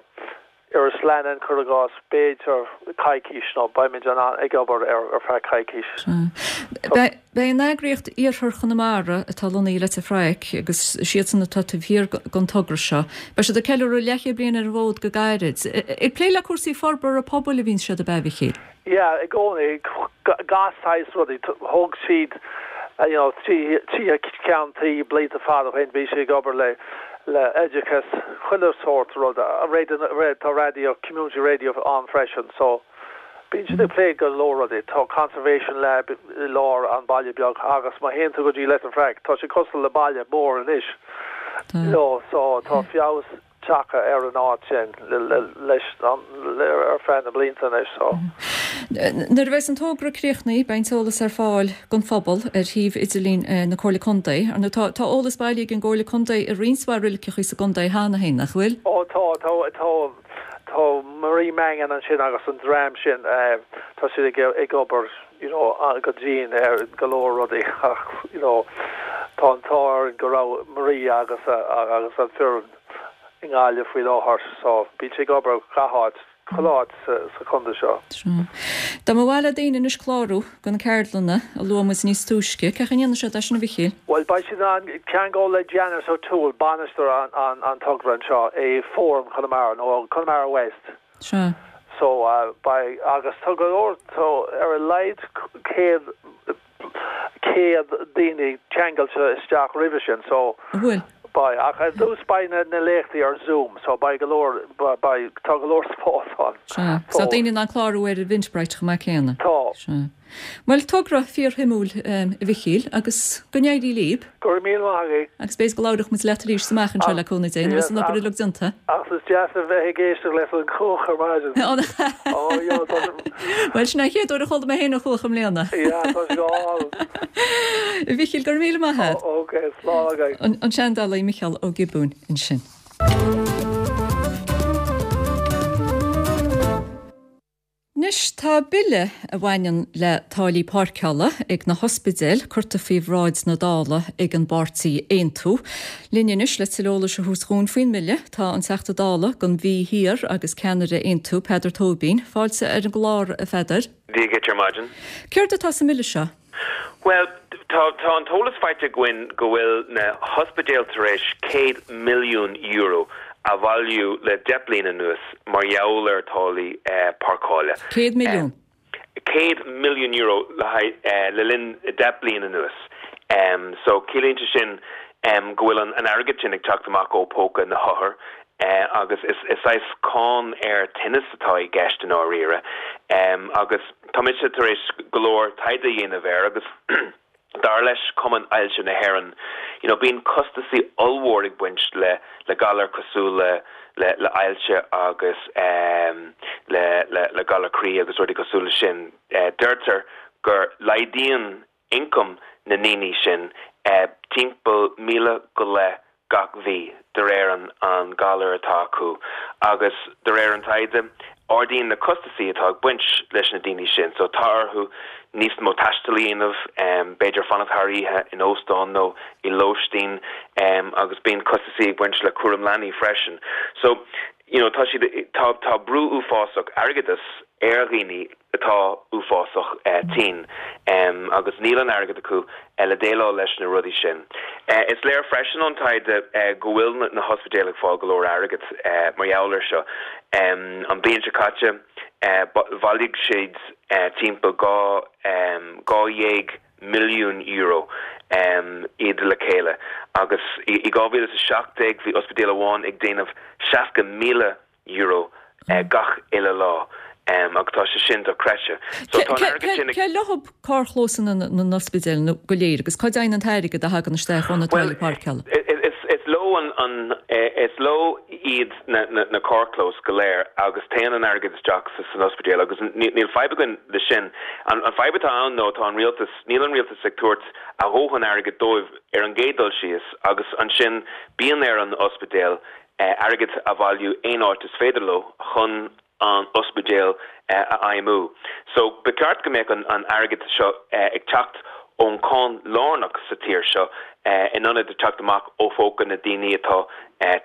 Iorras Leannáin, cuir i gcás, b'fhéidir coicís nó beimid in ann ag obair air ar feadh coicís. Beidh an eagraíocht Iarthar Chonamara atá lonnaithe i Leitir Fraic agus is iadsan atá taobh thiar den togra seo, beidh siad ag ceiliúradh leathchéad bliain ar an bhfód go gairid. Ag plé le cúrsaí forbartha pobail a bhíonn siad, ab ea, a Mhichíl? Yeah, i gcónaí, gach saghas rudaí. Thóg siad you know tithe ceann tuí blianta fada ó shin, bhí siad ag obair le le oideachas, chuile sórt rud. Tá raidió, community radio ann freisin so bíonn siad ag plé go leor rudaí. Tá conservation lab i lár an baile beag agus má théann tú go dtí Leitir Fraic, tá sé cosúil le baile mór anois you know so tá feabhas tagtha ar an áit sin leis an ar feadh na blianta anois so. Nuair a bheas an togra críochnaithe beidh an t-eolas ar fáil don phobal ar shuíomh idirlín na Comhairle Contae. Ar ndóigh tá tá eolas bailithe ag an gComhairle Contae i roinnt mhaith roiliceacha sa gcontae cheana féin, nach bhfuil? Ó tá, tá, tá, tá Marie Mangan ansin agus an dream sin, tá siad ag ag obair you know go dian ar go leor rudaí ach you know tá an t-ádh orainn go raibh Marie agus agus an foireann i nGaillimh faoi láthair so bíonn siad ag obair gach áit, chuile áit sa sa chontae seo. Sea. Dá mba mhaith le daoine anois clárú do na ceardlanna a luaigh muid níos túisce, cén chaoi a ndéanfaidh siad é sin a Mhichíl? Bhuel beidh siad in ann ceangal le Janice O'Toole, bainisteoir an an an togra anseo i Fóram Chonamara nó Conamara West. Sea. So beidh, agus tá go leor, tá ar a laghad 100, 100 daoine ceangailte isteach roimhe sin so An bhfuil? beidh, ach ar dtús beidh na, na léachtaí ar Zoom so beidh go leor, beidh, tá go leor spás ann. Sea. So tá daoine in ann clárú ar Eventbrite chomh maith céanna. Tá. Sea. Bhuel, togra fíorshuimiúil, a Mhichíl, agus go n-éirí libh. Go raibh míle maith agaibh. Agus b'fhéidir go labhróidh muid leat arís amach anseo le cúnamh Dé, nuair a bheas an obair uilig déanta. Ach is deas a bheith ag éisteacht leis an chuach ar maidin. Ó, yeah, tá sé. Bhuel, sin é an chéad uair a chuala mé féin an chuach i mbliana. Yeah, tá sé go hálainn. A Mhichíl, go raibh míle maith agat. Ó, ok, slán agaibh. An seandálaí Micheál Ó Giobúin ansin. Anois tá bille a bhaineann le táillí páirceála ag na hospidéil curtha faoi bhráid na Dála ag an bpáirtí Aontú. Linn anois le tuilleadh eolais a thabhairt dhúinn faoin mbille tá an Teachta Dála don Mhí Thiar agus ceannaire Aontú, Peadar Tóibín. Fáilte ar an gclár, a Pheadair. Dia dhuit ar maidin. Céard atá sa mbille seo? Bhuel, tá tá an t-eolas faighte againn go bhfuil na hospidéil tar éis €100 milliún a bhailiú le 10 bliain anuas mar gheall ar táillí páirceála. 100 milliún? €100 milliún le haghaidh le linn 10 bliain anuas. So ciallaíonn sé sin go bhfuil an airgead sin ag teacht amach ó póca na hothar agus is saghas cáin ar tinneas atá i gceist i ndáiríre agus tá mise tar éis go leor taighde a dhéanamh air agus dar leis Cumann Ailse na hÉireann you know bíonn costasaí ollmhór ag baint le le galar cosúil le le le ailse agus le le le galar croí agus rudaí cosúil le sin. Deirtear gur laghdaíonn ioncam na ndaoine sin timpeall 1,000 go leith gach mhí de réir an galar atá acu agus de réir an taighde ardaíonn na costasaí atá ag baint leis na daoine sin so tá orthu níos mó taistil a dhéanamh, b'fhéidir fanacht thar oíche in óstán nó i lóistín agus bíonn costasaí ag baint le cúram leanaí freisin. So you know tá siad tá tá brú uafásach airgeadais ar dhaoine atá uafásach tinn agus níl an airgead acu le déileáil leis na rudaí sin. Is léir freisin ón taighde go bhfuil na hospidéil ag fáil go leor airgead mar gheall air seo. An bhliain seo caite bhailigh siad timpeall €12 milliún iad le chéile agus i 2017 bhí ospidéal amháin ag déanamh 60,000 euro gach uile lá agus tá sé sin dochreidte. So tá an airgead sin ag. Cé leo carrchlósanna na n-ospidéal go léir agus cá dtéann an t-airgead a thagann isteach ó na táillí páirceála? Is leo an, is leo iad na carrchlóis go léir agus téann an airgead isteach san ospidéal agus níl fadhb againn le sin. An fadhb atá ann nó tá an rialtas, níl an rialtas ag tabhairt a dhóthain airgid dóibh ar an gcéad dul síos agus ansin bíonn ar an ospidéal airgead a bhailiú aon áit is féidir leo chun an ospidéal a fheidhmiú. So ba cheart go mbeadh an airgead seo ag teacht ón cáin lárnach sa tír seo in ionad teacht amach ó phóca na daoine atá.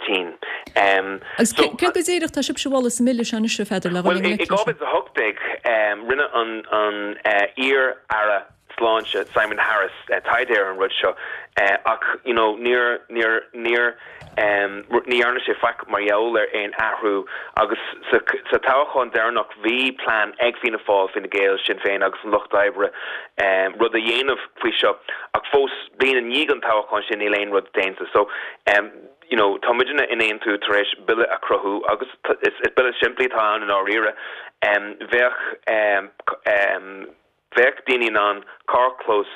tinn. Agus céard go díreach tá sibhse a mholadh sa mBille seo anois, a Pheadair, le dhul i ngleic leis sin? Bhuel, i 2018, rinne an iar-aire sláinte Simon Harris taighde ar an rud seo ach you know níor, níor, níor, ní dhearna sé faic mar gheall ar aon athrú agus sa, sa toghchán deireanach bhí plean ag Fianna Fáil, Fine Gael, Sinn Féin agus an Lucht Oibre rud a dhéanamh faoi seo ach fós bliain i ndiaidh an toghcháin sin níl aon rud déanta. So you know tá muidne in Aontú tar éis bille a chruthú agus is, is bille simplí atá ann i ndáiríre. Bheadh Bheadh daoine in ann carrchlós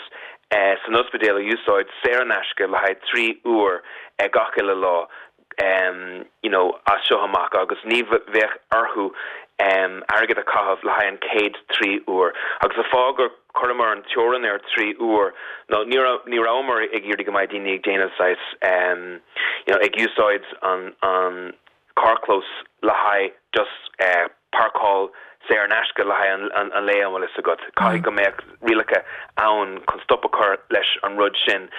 san ospidéal a úsáid saor in aisce le haghaidh 3 uair gach uile lá you know as seo amach agus ní bheadh orthu airgead a chaitheamh le haghaidh an chéad 3 uair. Agus an fáth gur chuireamar an teorainn ar 3 uair ná ní ní rabhamar ag iarraidh go mbeidh daoine ag déanamh saghas you know ag úsáid an an carrchlós le haghaidh just páirceáil saor in aisce le haghaidh an lae an bhfuil fhios agat. Caithfidh go mbeadh rialacha ann chun stop a chur leis an rud sin.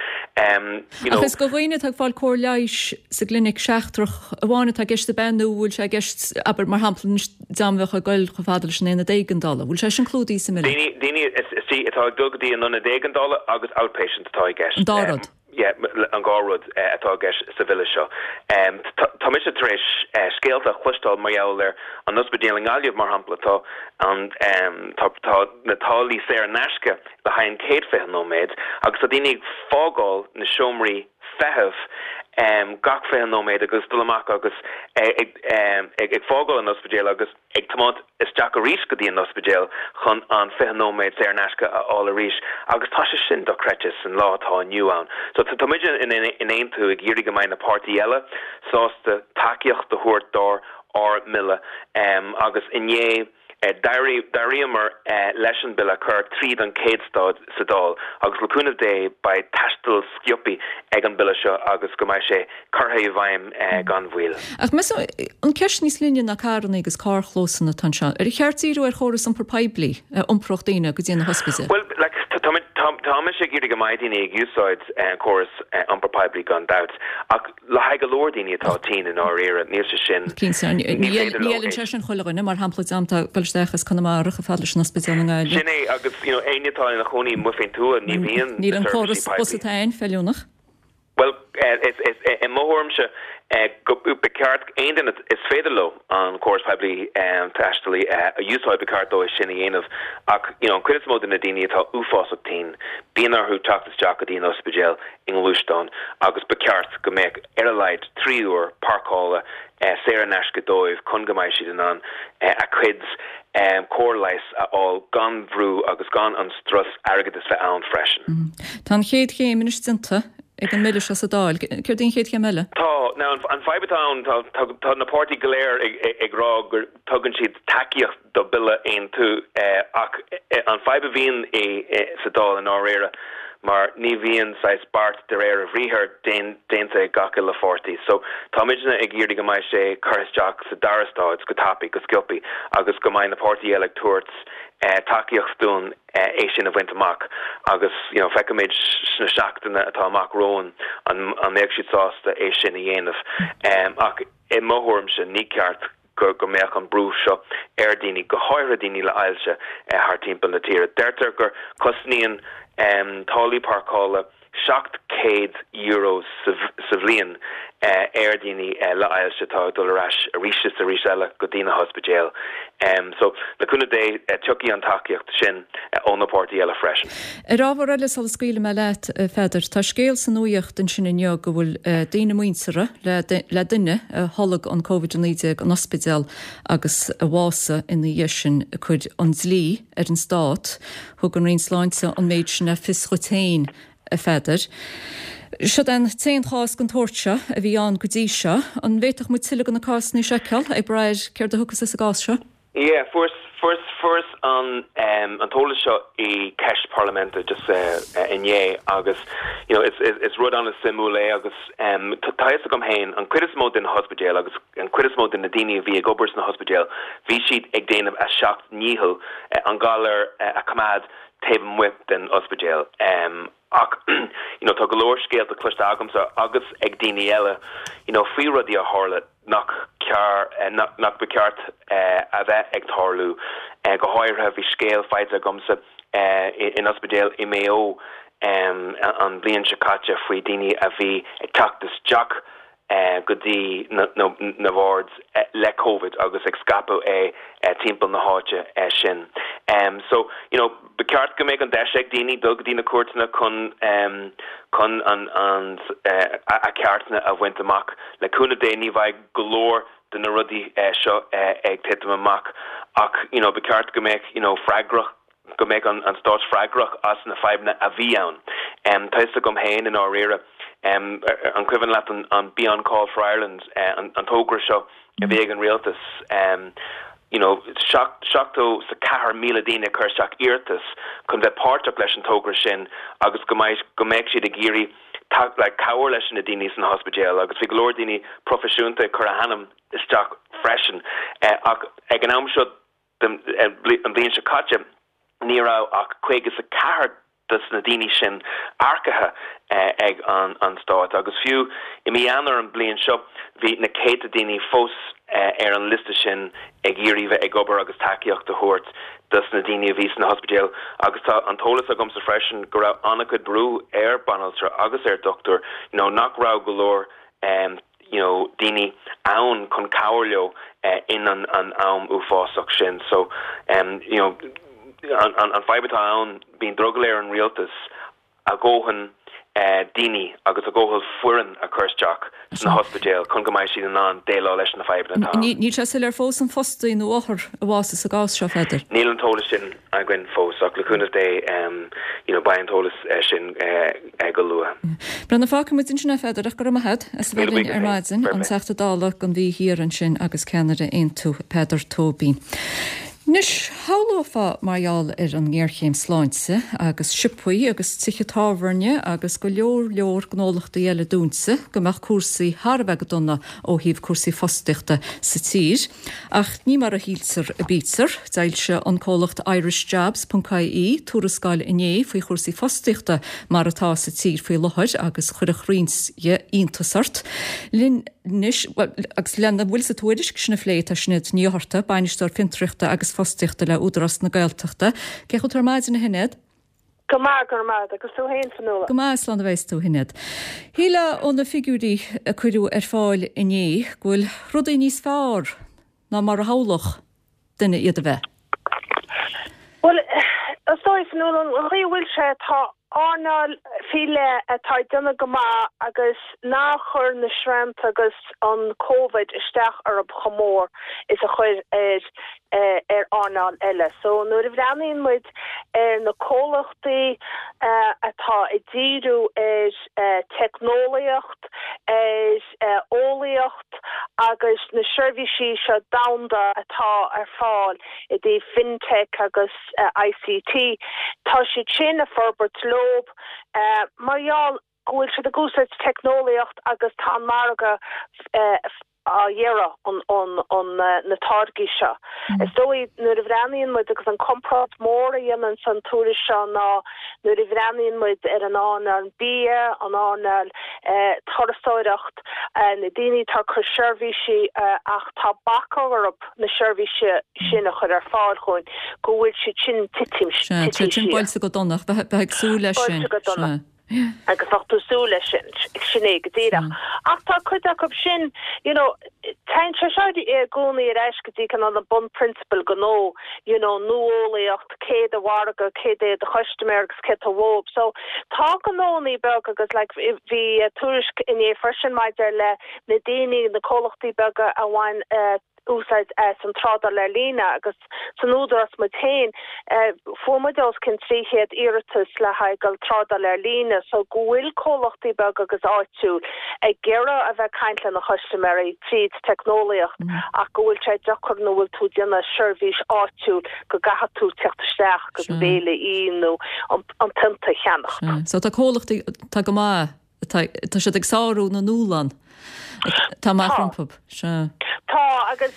You know. Ach is do dhaoine atá ag fáil cóir leighis sa gclinic seachtrach amháin atá i gceist ab ea nó bhfuil sé i gceist, abair, mar shampla anois dá mbeadh ag goil chomh fada leis an aonad éigeandála, bhfuil sé sin clúdaithe sa mBille? Daoine, daoine atá ag dul go dtí an ionad éigeandála agus outpatient atá i gceist. An dá rud. Yeah, an dhá rud atá i gceist sa bhille seo. Tá mise tar éis scéalta a chloisteáil mar gheall ar an ospidéal i nGaillimh, mar shampla. Tá an, tá, tá na táillí saor in aisce le haghaidh an chéad 20 nóiméad agus tá daoine ag fágáil na seomraí feithimh gach 20 nóiméad agus dul amach agus ag, ag fágáil an ospidéil agus. ag tiomáint isteach arís go dtí an ospidéal chun an 20 nóiméad saor in aisce a fháil arís agus tá sé sin dochreidte san lá atá inniu ann. So tá muid in Aontú ag iarraidh go mbeidh na páirtí eile sásta tacaíocht a thabhairt dár ár mbille agus inné d'éiríomar leis an bille a chur tríd an chéad staid sa Dáil agus le cúnamh Dé beidh taisteal sciobtha ag an bille seo agus go mbeidh sé curtha i bhfeidhm gan mhoill. Ach measaim, an ceist níos linne ná carranna agus carrchlósanna atá anseo. Ar cheart díriú ar chóras iompair poiblí a iompródh daoine go dtí na hospidéil? Bhuel, like, tá, tá, tá mise ag iarraidh go mbeidh daoine ag úsáid an córas iompair poiblí gan dabht, ach le haghaidh go leor daoine atá tinn i ndáiríre, níl sé sin, Cinnte, ní ní fhéidir leo fheileann sé sin chuile dhuine, mar shampla, dream atá ag dul isteach as Conamara chomh fada leis an ospidéal i nGaillimh. Sin é, agus, you know, éinne atá ina chónaí amuigh faoin tuath, ní bhíonn Níl an córas bus atá ann feiliúnach. Bhuel, i mo thuairimse, ba cheart aon duine is féidir leo an córas poiblí taistil a úsáid, ba cheart dóibh sin a dhéanamh. Ach, you know, an chuid is mó de na daoine atá uafásach tinn, bíonn orthu teacht isteach go dtí an ospidéal i ngluaisteán agus ba cheart go mbeadh ar a laghad 3 uair páirceála saor in aisce dóibh chun go mbeidh siad in ann a cuid cóir leighis a fháil gan bhrú agus gan an strus airgeadais bheith ann freisin. Tá an chéad chéim anois déanta ag an mBille seo sa Dáil. Céard í an chéad chéim eile? Tá. Now, an fadhb atá ann, tá, tá na páirtí go léir ag rá go dtugann siad tacaíocht do bille Aontú ach an fadhb a bhíonn sa Dáil i ndáiríre mar ní bhíonn saghas beart de réir a bhriathair déanta ag gach uile pháirtí. So, tá muidne ag iarraidh go mbeidh sé curtha isteach sa dara stáid go tapaidh, go sciobthaí agus go mbeidh na páirtí eile ag tabhairt tacaíocht dúinn é sin a bhaint amach agus you know feicfimid sna seachtaine atá amach romhainn an mbeadh siad sásta é sin a dhéanamh. Ach i mo thuairimse ní ceart go go mbeadh an brú seo ar dhaoine, go háirithe daoine le ailse thart timpeall na tíre. Deirtear gur cosnaíonn táillí páirceála €700 sa bhliain ar dhaoine le ailse atá ag dul ar ais arís is arís eile go dtí na hospidéil. So, le cúnamh Dé, tiocfaidh an tacaíocht sin ó na páirtí eile freisin. Ar ábhar eile sula scaoilfidh mé leat, a Pheadair, tá scéal sa nuaíocht ansin inniu go bhfuil daoine muinteartha le duine a tholg an Covid-19 in ospidéal agus a bhásaigh ina dhiaidh sin ag cur an dlí ar an stát. Thug an Roinn Sláinte an méid sin le fios dhuit féin, a Pheadair. Siod é an t-aon chás den tsórt seo a bhí ann go dtí seo. An bhféadfadh muid tuilleadh de na cásanna seo a fheiceáil, ag brath ar céard a thiocfas as an gcás seo? Yeah, fuaireas, fuaireas, fuaireas an, an t-eolas seo i ceist parlaiminte just inné agus, you know, is, is, is rud an-suimiúil é agus tá a fhios agam féin, an chuid is mó de na hospidéil agus an chuid is mó de na daoine a bhí ag obair sna hospidéil, bhí siad ag déanamh a seacht ndícheall an galar a choimeád. taobh amuigh den ospidéal. Ach you know tá go leor scéalta cloiste agamsa agus ag daoine eile you know faoi rudaí a tharla nach cear nach ba cheart a bheith ag tarlú. Go háirithe bhí scéal faighte agamsa in ospidéal i Maigh Eo an bhliain seo caite faoi daoine a bhí ag teacht isteach go dtí na wards le Covid agus ag scaipeadh é timpeall na háite sin. So, you know, ba cheart go mbeadh an deis ag daoine dul go dtí na cúirteanna chun chun an an a ceartanna a bhaint amach. Le cúnamh Dé ní bheidh go leor de na rudaí seo ag titim amach ach, you know, ba cheart go mbeadh, you know, freagrach go mbeadh an stát freagrach as na fadhbanna a bhí ann. Tá fhios agam féin i ndáiríre, an cuimhin leat an Be On Call for Ireland, an togra seo a bhí ag an rialtas, you know, 74,000 daoine a chuir isteach iarratas chun bheith páirteach leis an togra sin agus go mbeidh, go mbeadh siad ag iarraidh like cabhair leis na daoine san ospidéal agus bhí go leor daoine proifisiúnta ag cur a hainm isteach freisin ach ag an am seo an bhliain seo caite, ní raibh ach 54 de na daoine sin earcaithe ag an stát agus fiú i mí Eanáir an bhliain seo bhí na céadta daoine fós ar an liosta sin ag iarraidh bheith ag obair agus tacaíocht a thabhairt dos na daoine a bhí sna hospidéil agus tá an t-eolas agamsa freisin go raibh an-chuid brú ar banaltra agus ar dochtúir you know nach raibh go leor you know daoine ann chun cabhair leo in an an am uafásach sin. So you know an an fadhb atá ann bíonn drogall ar an rialtas a dhóthain daoine agus a dhóthain foireann a chur isteach sna hospidéil chun go mbeidh siad in ann déileáil leis na fadhbanna atá ann. Níl sé soiléir fós an fostaí nó othar a bhásaigh sa gcás seo, Pheadair. Níl an t-eolas sin againn fós ach le cúnamh Dé you know beidh an t-eolas sin go luath. Breandán, fágfaidh muid ansin é, a Pheadair, ach go raibh maith agat as a bheith linn ar maidin, an Teachta Dála don Mhí Thiar ansin agus ceannaire Aontú, Peadar Tóibín. Anois, shamhlófá mar gheall ar an ngéarchéim sláinte agus siopaí agus tithe tábhairne agus go leor leor gnólachtaí eile dúnta go mbeadh cúrsaí thar a bheith go dona ó thaobh cúrsaí fostaíochta sa tír. Ach ní mar a shíltear a bítear. D'fhoilsigh an comhlacht IrishJobs ponc ie tuarascáil inné faoi chúrsaí fostaíochta mar atá sa tír faoi láthair agus chuirfeadh roinnt dhe iontas ort. Linn anois, bhuel, agus lena bhfuil sa tuairisc sin a phlé tá Sinéad Ní Fhátharta, Bainisteoir Fiontraíochta agus Fostaíochta le Údarás na Gaeltachta. Cén chaoi atá tú ar maidin, a Shinéad? Go maith, go raibh maith agat. Agus tú féin, Fionnuala? Go maith, slán a bheas tú, a Shinéad. Shílfeá ó na figiúirí a cuireadh ar fáil inné go bhfuil rudaí níos fearr ná mar a shamhlódh duine iad a bheith. Bhuel, is dóigh, Fionnuala, an chaoi a bhfuil sé, tá earnáil faoi leith atá ag déanamh go maith agus nár chuir na srianta agus an Covid isteach orthu chomh mór is a chuir ar ar earnáil eile. So nuair a bhreathnaíonn muid ar na comhlachtaí atá ag díriú ar teicneolaíocht, ar eolaíocht agus na seirbhísí seo domhanda atá ar fáil i dtaobh FinTech agus ICT, tá siad sin ag forbairt leob mar gheall go bhfuil siad ag úsáid teicneolaíocht agus tá an margadh á iarraidh na táirgí seo. Is dóigh nuair a bhreathnaíonn muid agus an comparáid mór a dhéanann an tuairisc seo ná nuair a bhreathnaíonn muid ar an earnáil bia, an earnáil turasóireacht, na daoine atá ag cur seirbhísí ach tá bac orthu na seirbhísí sin a chur ar fáil chugainn, go bhfuil siad sin titim Sea, tá sin buailte go dona, bheifeá ag súil leis sin. Buailte go dona. Agus bheadh tú ag súil leis sin, sin é go díreach. Ach tá cuid acu sin, you know, téann sé seo i gcónaí ar ais go dtí cineál na bunphrionsabail gnó, you know, nuálaíocht, cé do mhargadh, céard é do chustaiméir agus céard atá uathu. So tá gnónnaí beaga agus like bhí tuairisc inné freisin maidir le na daoine, na comhlachtaí beaga a bhain úsáid as an trádáil ar líne agus san Údarás muid féin fuair muid os cionn 300 iarratas le haghaidh dul trádáil ar líne so go bhfuil comhlachtaí beaga agus áitiúil ag iarraidh a bheith ag caint lena chustaiméirí tríd teicneolaíocht ach go bhfuil sé deacair nuair bhfuil tú ag déanamh seirbhís áitiúil go gcaithfidh tú teacht isteach agus béile a ithe nó an pionta a cheannacht. So tá comhlachtaí atá go maith, tá siad ag sárú na ndúshlán. Atá amach rompu. Sea. Tá, agus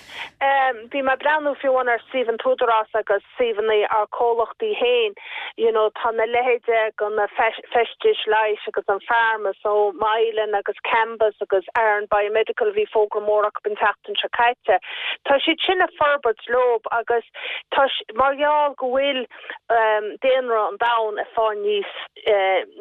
bhí mé ag breathnú fiú amháin ar suíomh an tÚdarás agus suíomhanna ár comhlachtaí féin, you know, tá na leithéide de na feistis leighis agus an pharma, so Mylan agus Cambus agus Aran Biomedical, bhí fógra mór acu an tseachtain seo caite. Tá siad sin ag forbairt leob agus tá, mar gheall go bhfuil daonra an domhain ag fáil níos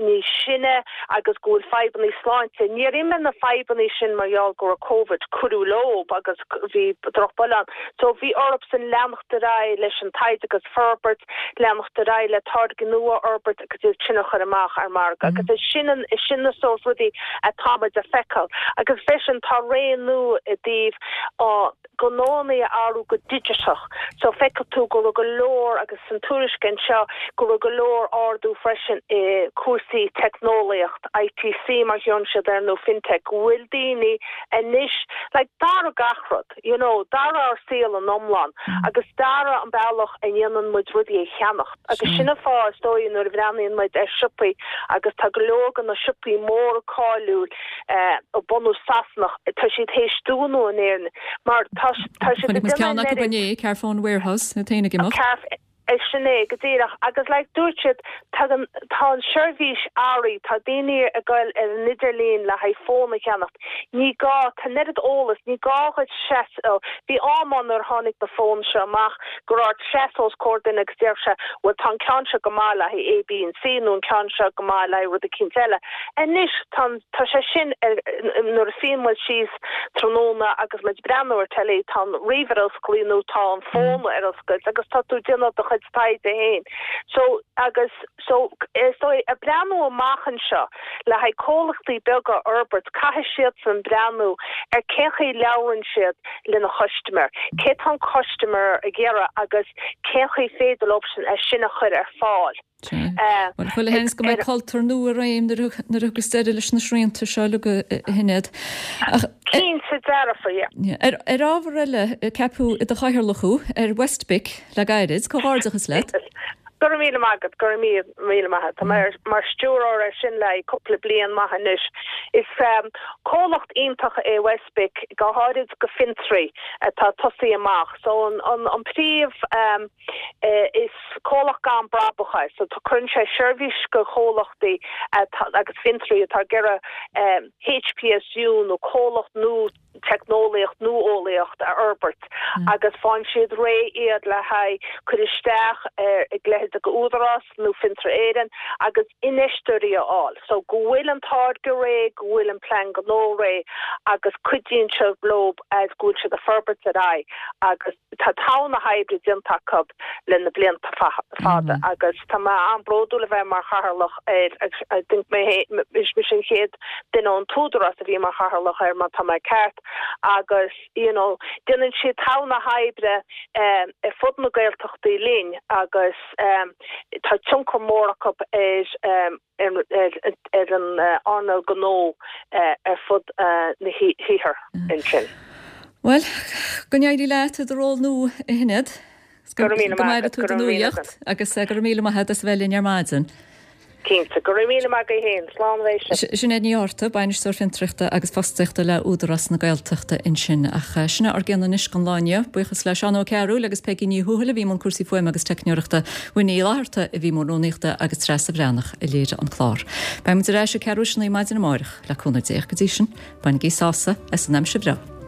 níos sine agus go bhfuil fadhbannaí sláinte. Níor imigh na fadhbannaí sin mar gheall go raibh Covid, cuireadh leob agus bhí drochbhail ann. So bhí orthusan leanacht ar aghaidh leis an taighde agus forbairt, leanacht ar aghaidh le táirgí nua a fhorbairt agus iad sin a chur amach ar margadh. Agus is sin an, is sin na sórt rudaí atá muid a feiceáil. Agus freisin tá ré nua i dtaobh gnóanna a athrú go digiteach. So feicfidh tú go raibh go leor, agus san tuairisc anseo, go raibh go leor ardú freisin i cúrsaí teicneolaíocht, ITC mar a ghlaonn siad air nó FinTech, go bhfuil daoine anois, like d'athraigh gach rud, you know, d'athraigh ár saol in iomlán agus d'athraigh an bealach a ndéanann muid rudaí a cheannacht. Agus sin an fáth is dóigh nuair a bhreathnaíonn muid ar siopaí agus tá go leor de na siopaí móra cáiliúil, de bhunús Sasanach, tá siad théis dúnadh in Éirinn mar tá tá siad ag déanamh ceann acu inné, Carphone Warehouse, iad féin ag imeacht. Sin é go díreach agus like dúirt siad tagann tá an seirbhís earraí, tá daoine ag goil ar an idirlíon le haghaidh fón a cheannacht, ní gá, tá an oiread eolas, ní gá dhuit seasamh, bhí am ann nuair a tháinig na fóin seo amach go raibh ort seasamh os comhair duine agus déarfadh sé bhuel tá an ceann seo go maith le haghaidh A, B and C nó an ceann seo go maith le haghaidh rud eicínt eile. Anois, tá an, tá sé sin ar, nuair a suíonn muid síos tráthnóna agus muid ag breathnú ar telly, tá an ríomhaire osclaí nó tá an fón ar oscailt agus tá tú ag déanamh do chuid taighde féin. So, agus, so, is dóigh, ag breathnú amach anseo le haghaidh comhlachtaí beaga a fhorbairt, caithfidh siadsan breathnú ar cén chaoi a labhrann siad lena chustaiméir, cé tá an custaiméir ag iarraidh agus cén chaoi féidir leosan é sin a chur ar fáil. Sea. Bhuel, chuile sheans go mbeidh cultúr nua i réim nuair a thiocfas deireadh leis na srianta seo uilig, a Shinéad. Ach. Cinnte dearfa, yeah. Ar ábhar eile, ceapadh i do chathaoirleach thú ar WestBIC le gairid. Comhghairdeachas leat. Go raibh míle maith agat, go raibh míle maith agat. Tá mé mar stiúrthóir air sin le haghaidh cúpla bliain maith anois. Is comhlacht iontach é WestBIC, go háirid go fiontraí atá ag tosaí amach. So an príomh. Is comhlacht gan brabach é, so cuireann sé seirbhís go chomhlachtaí agus fiontraí atá ag iarraidh HPSU nó comhlacht nua teicneolaíocht nó eolaíocht a fhorbairt agus faigheann siad réidh iad le haghaidh cur isteach ar a leithéid de Údarás nó Fiontar Éireann agus infheisteoirí a fháil. So go bhfuil an táirge réidh, go bhfuil an plean gnó réidh agus cuidíonn siad leo as go bhfuil siad ag forbairt ar aghaidh agus Tá togha na hoibre déanta acu le na blianta fada agus tá mé an-bhródúil a bheith mar chathaoirleach air agus I think mé is mise an chéad duine ón t-údarás a bhí mar chathaoirleach air má tá mé ceart agus you know déanann siad togha na hoibre ar fud na Gaeltachtaí linn agus tá tionchar mór acu ar ar an earnáil gnó ar fud na hiarthair ansin. Bhuel, go n-éirí leat i do ról nua, a Shinéad. Go raibh míle maith agat. Go maire tú do nuaíocht agus go raibh míle maith agat as a bheith linn ar maidin. Cinnte. Go raibh míle maith agat féin. Slán arís. Sinéad Ní Fhátharta, Bainisteoir Fiontraíochta agus Fostaíochta le Údarás na Gaeltachta ansin. Ach sin é ár gcion anois don lá inniu. Buíochas le Seán Ó Cearúil agus Peigí Ní Thuathail a bhí i mbun cúrsaí fuaime agus teicneoireachta, Winnie Uí Fhlatharta a bhí i mbun rúnaíochta agus Treasa Bhreathnach a léirigh an clár. Beidh muid ar ais ag ceathrú théis a naoi maidin amárach, le cúnamh Dé. Go dtí sin, bainigí sásamh as an aimsir bhreá.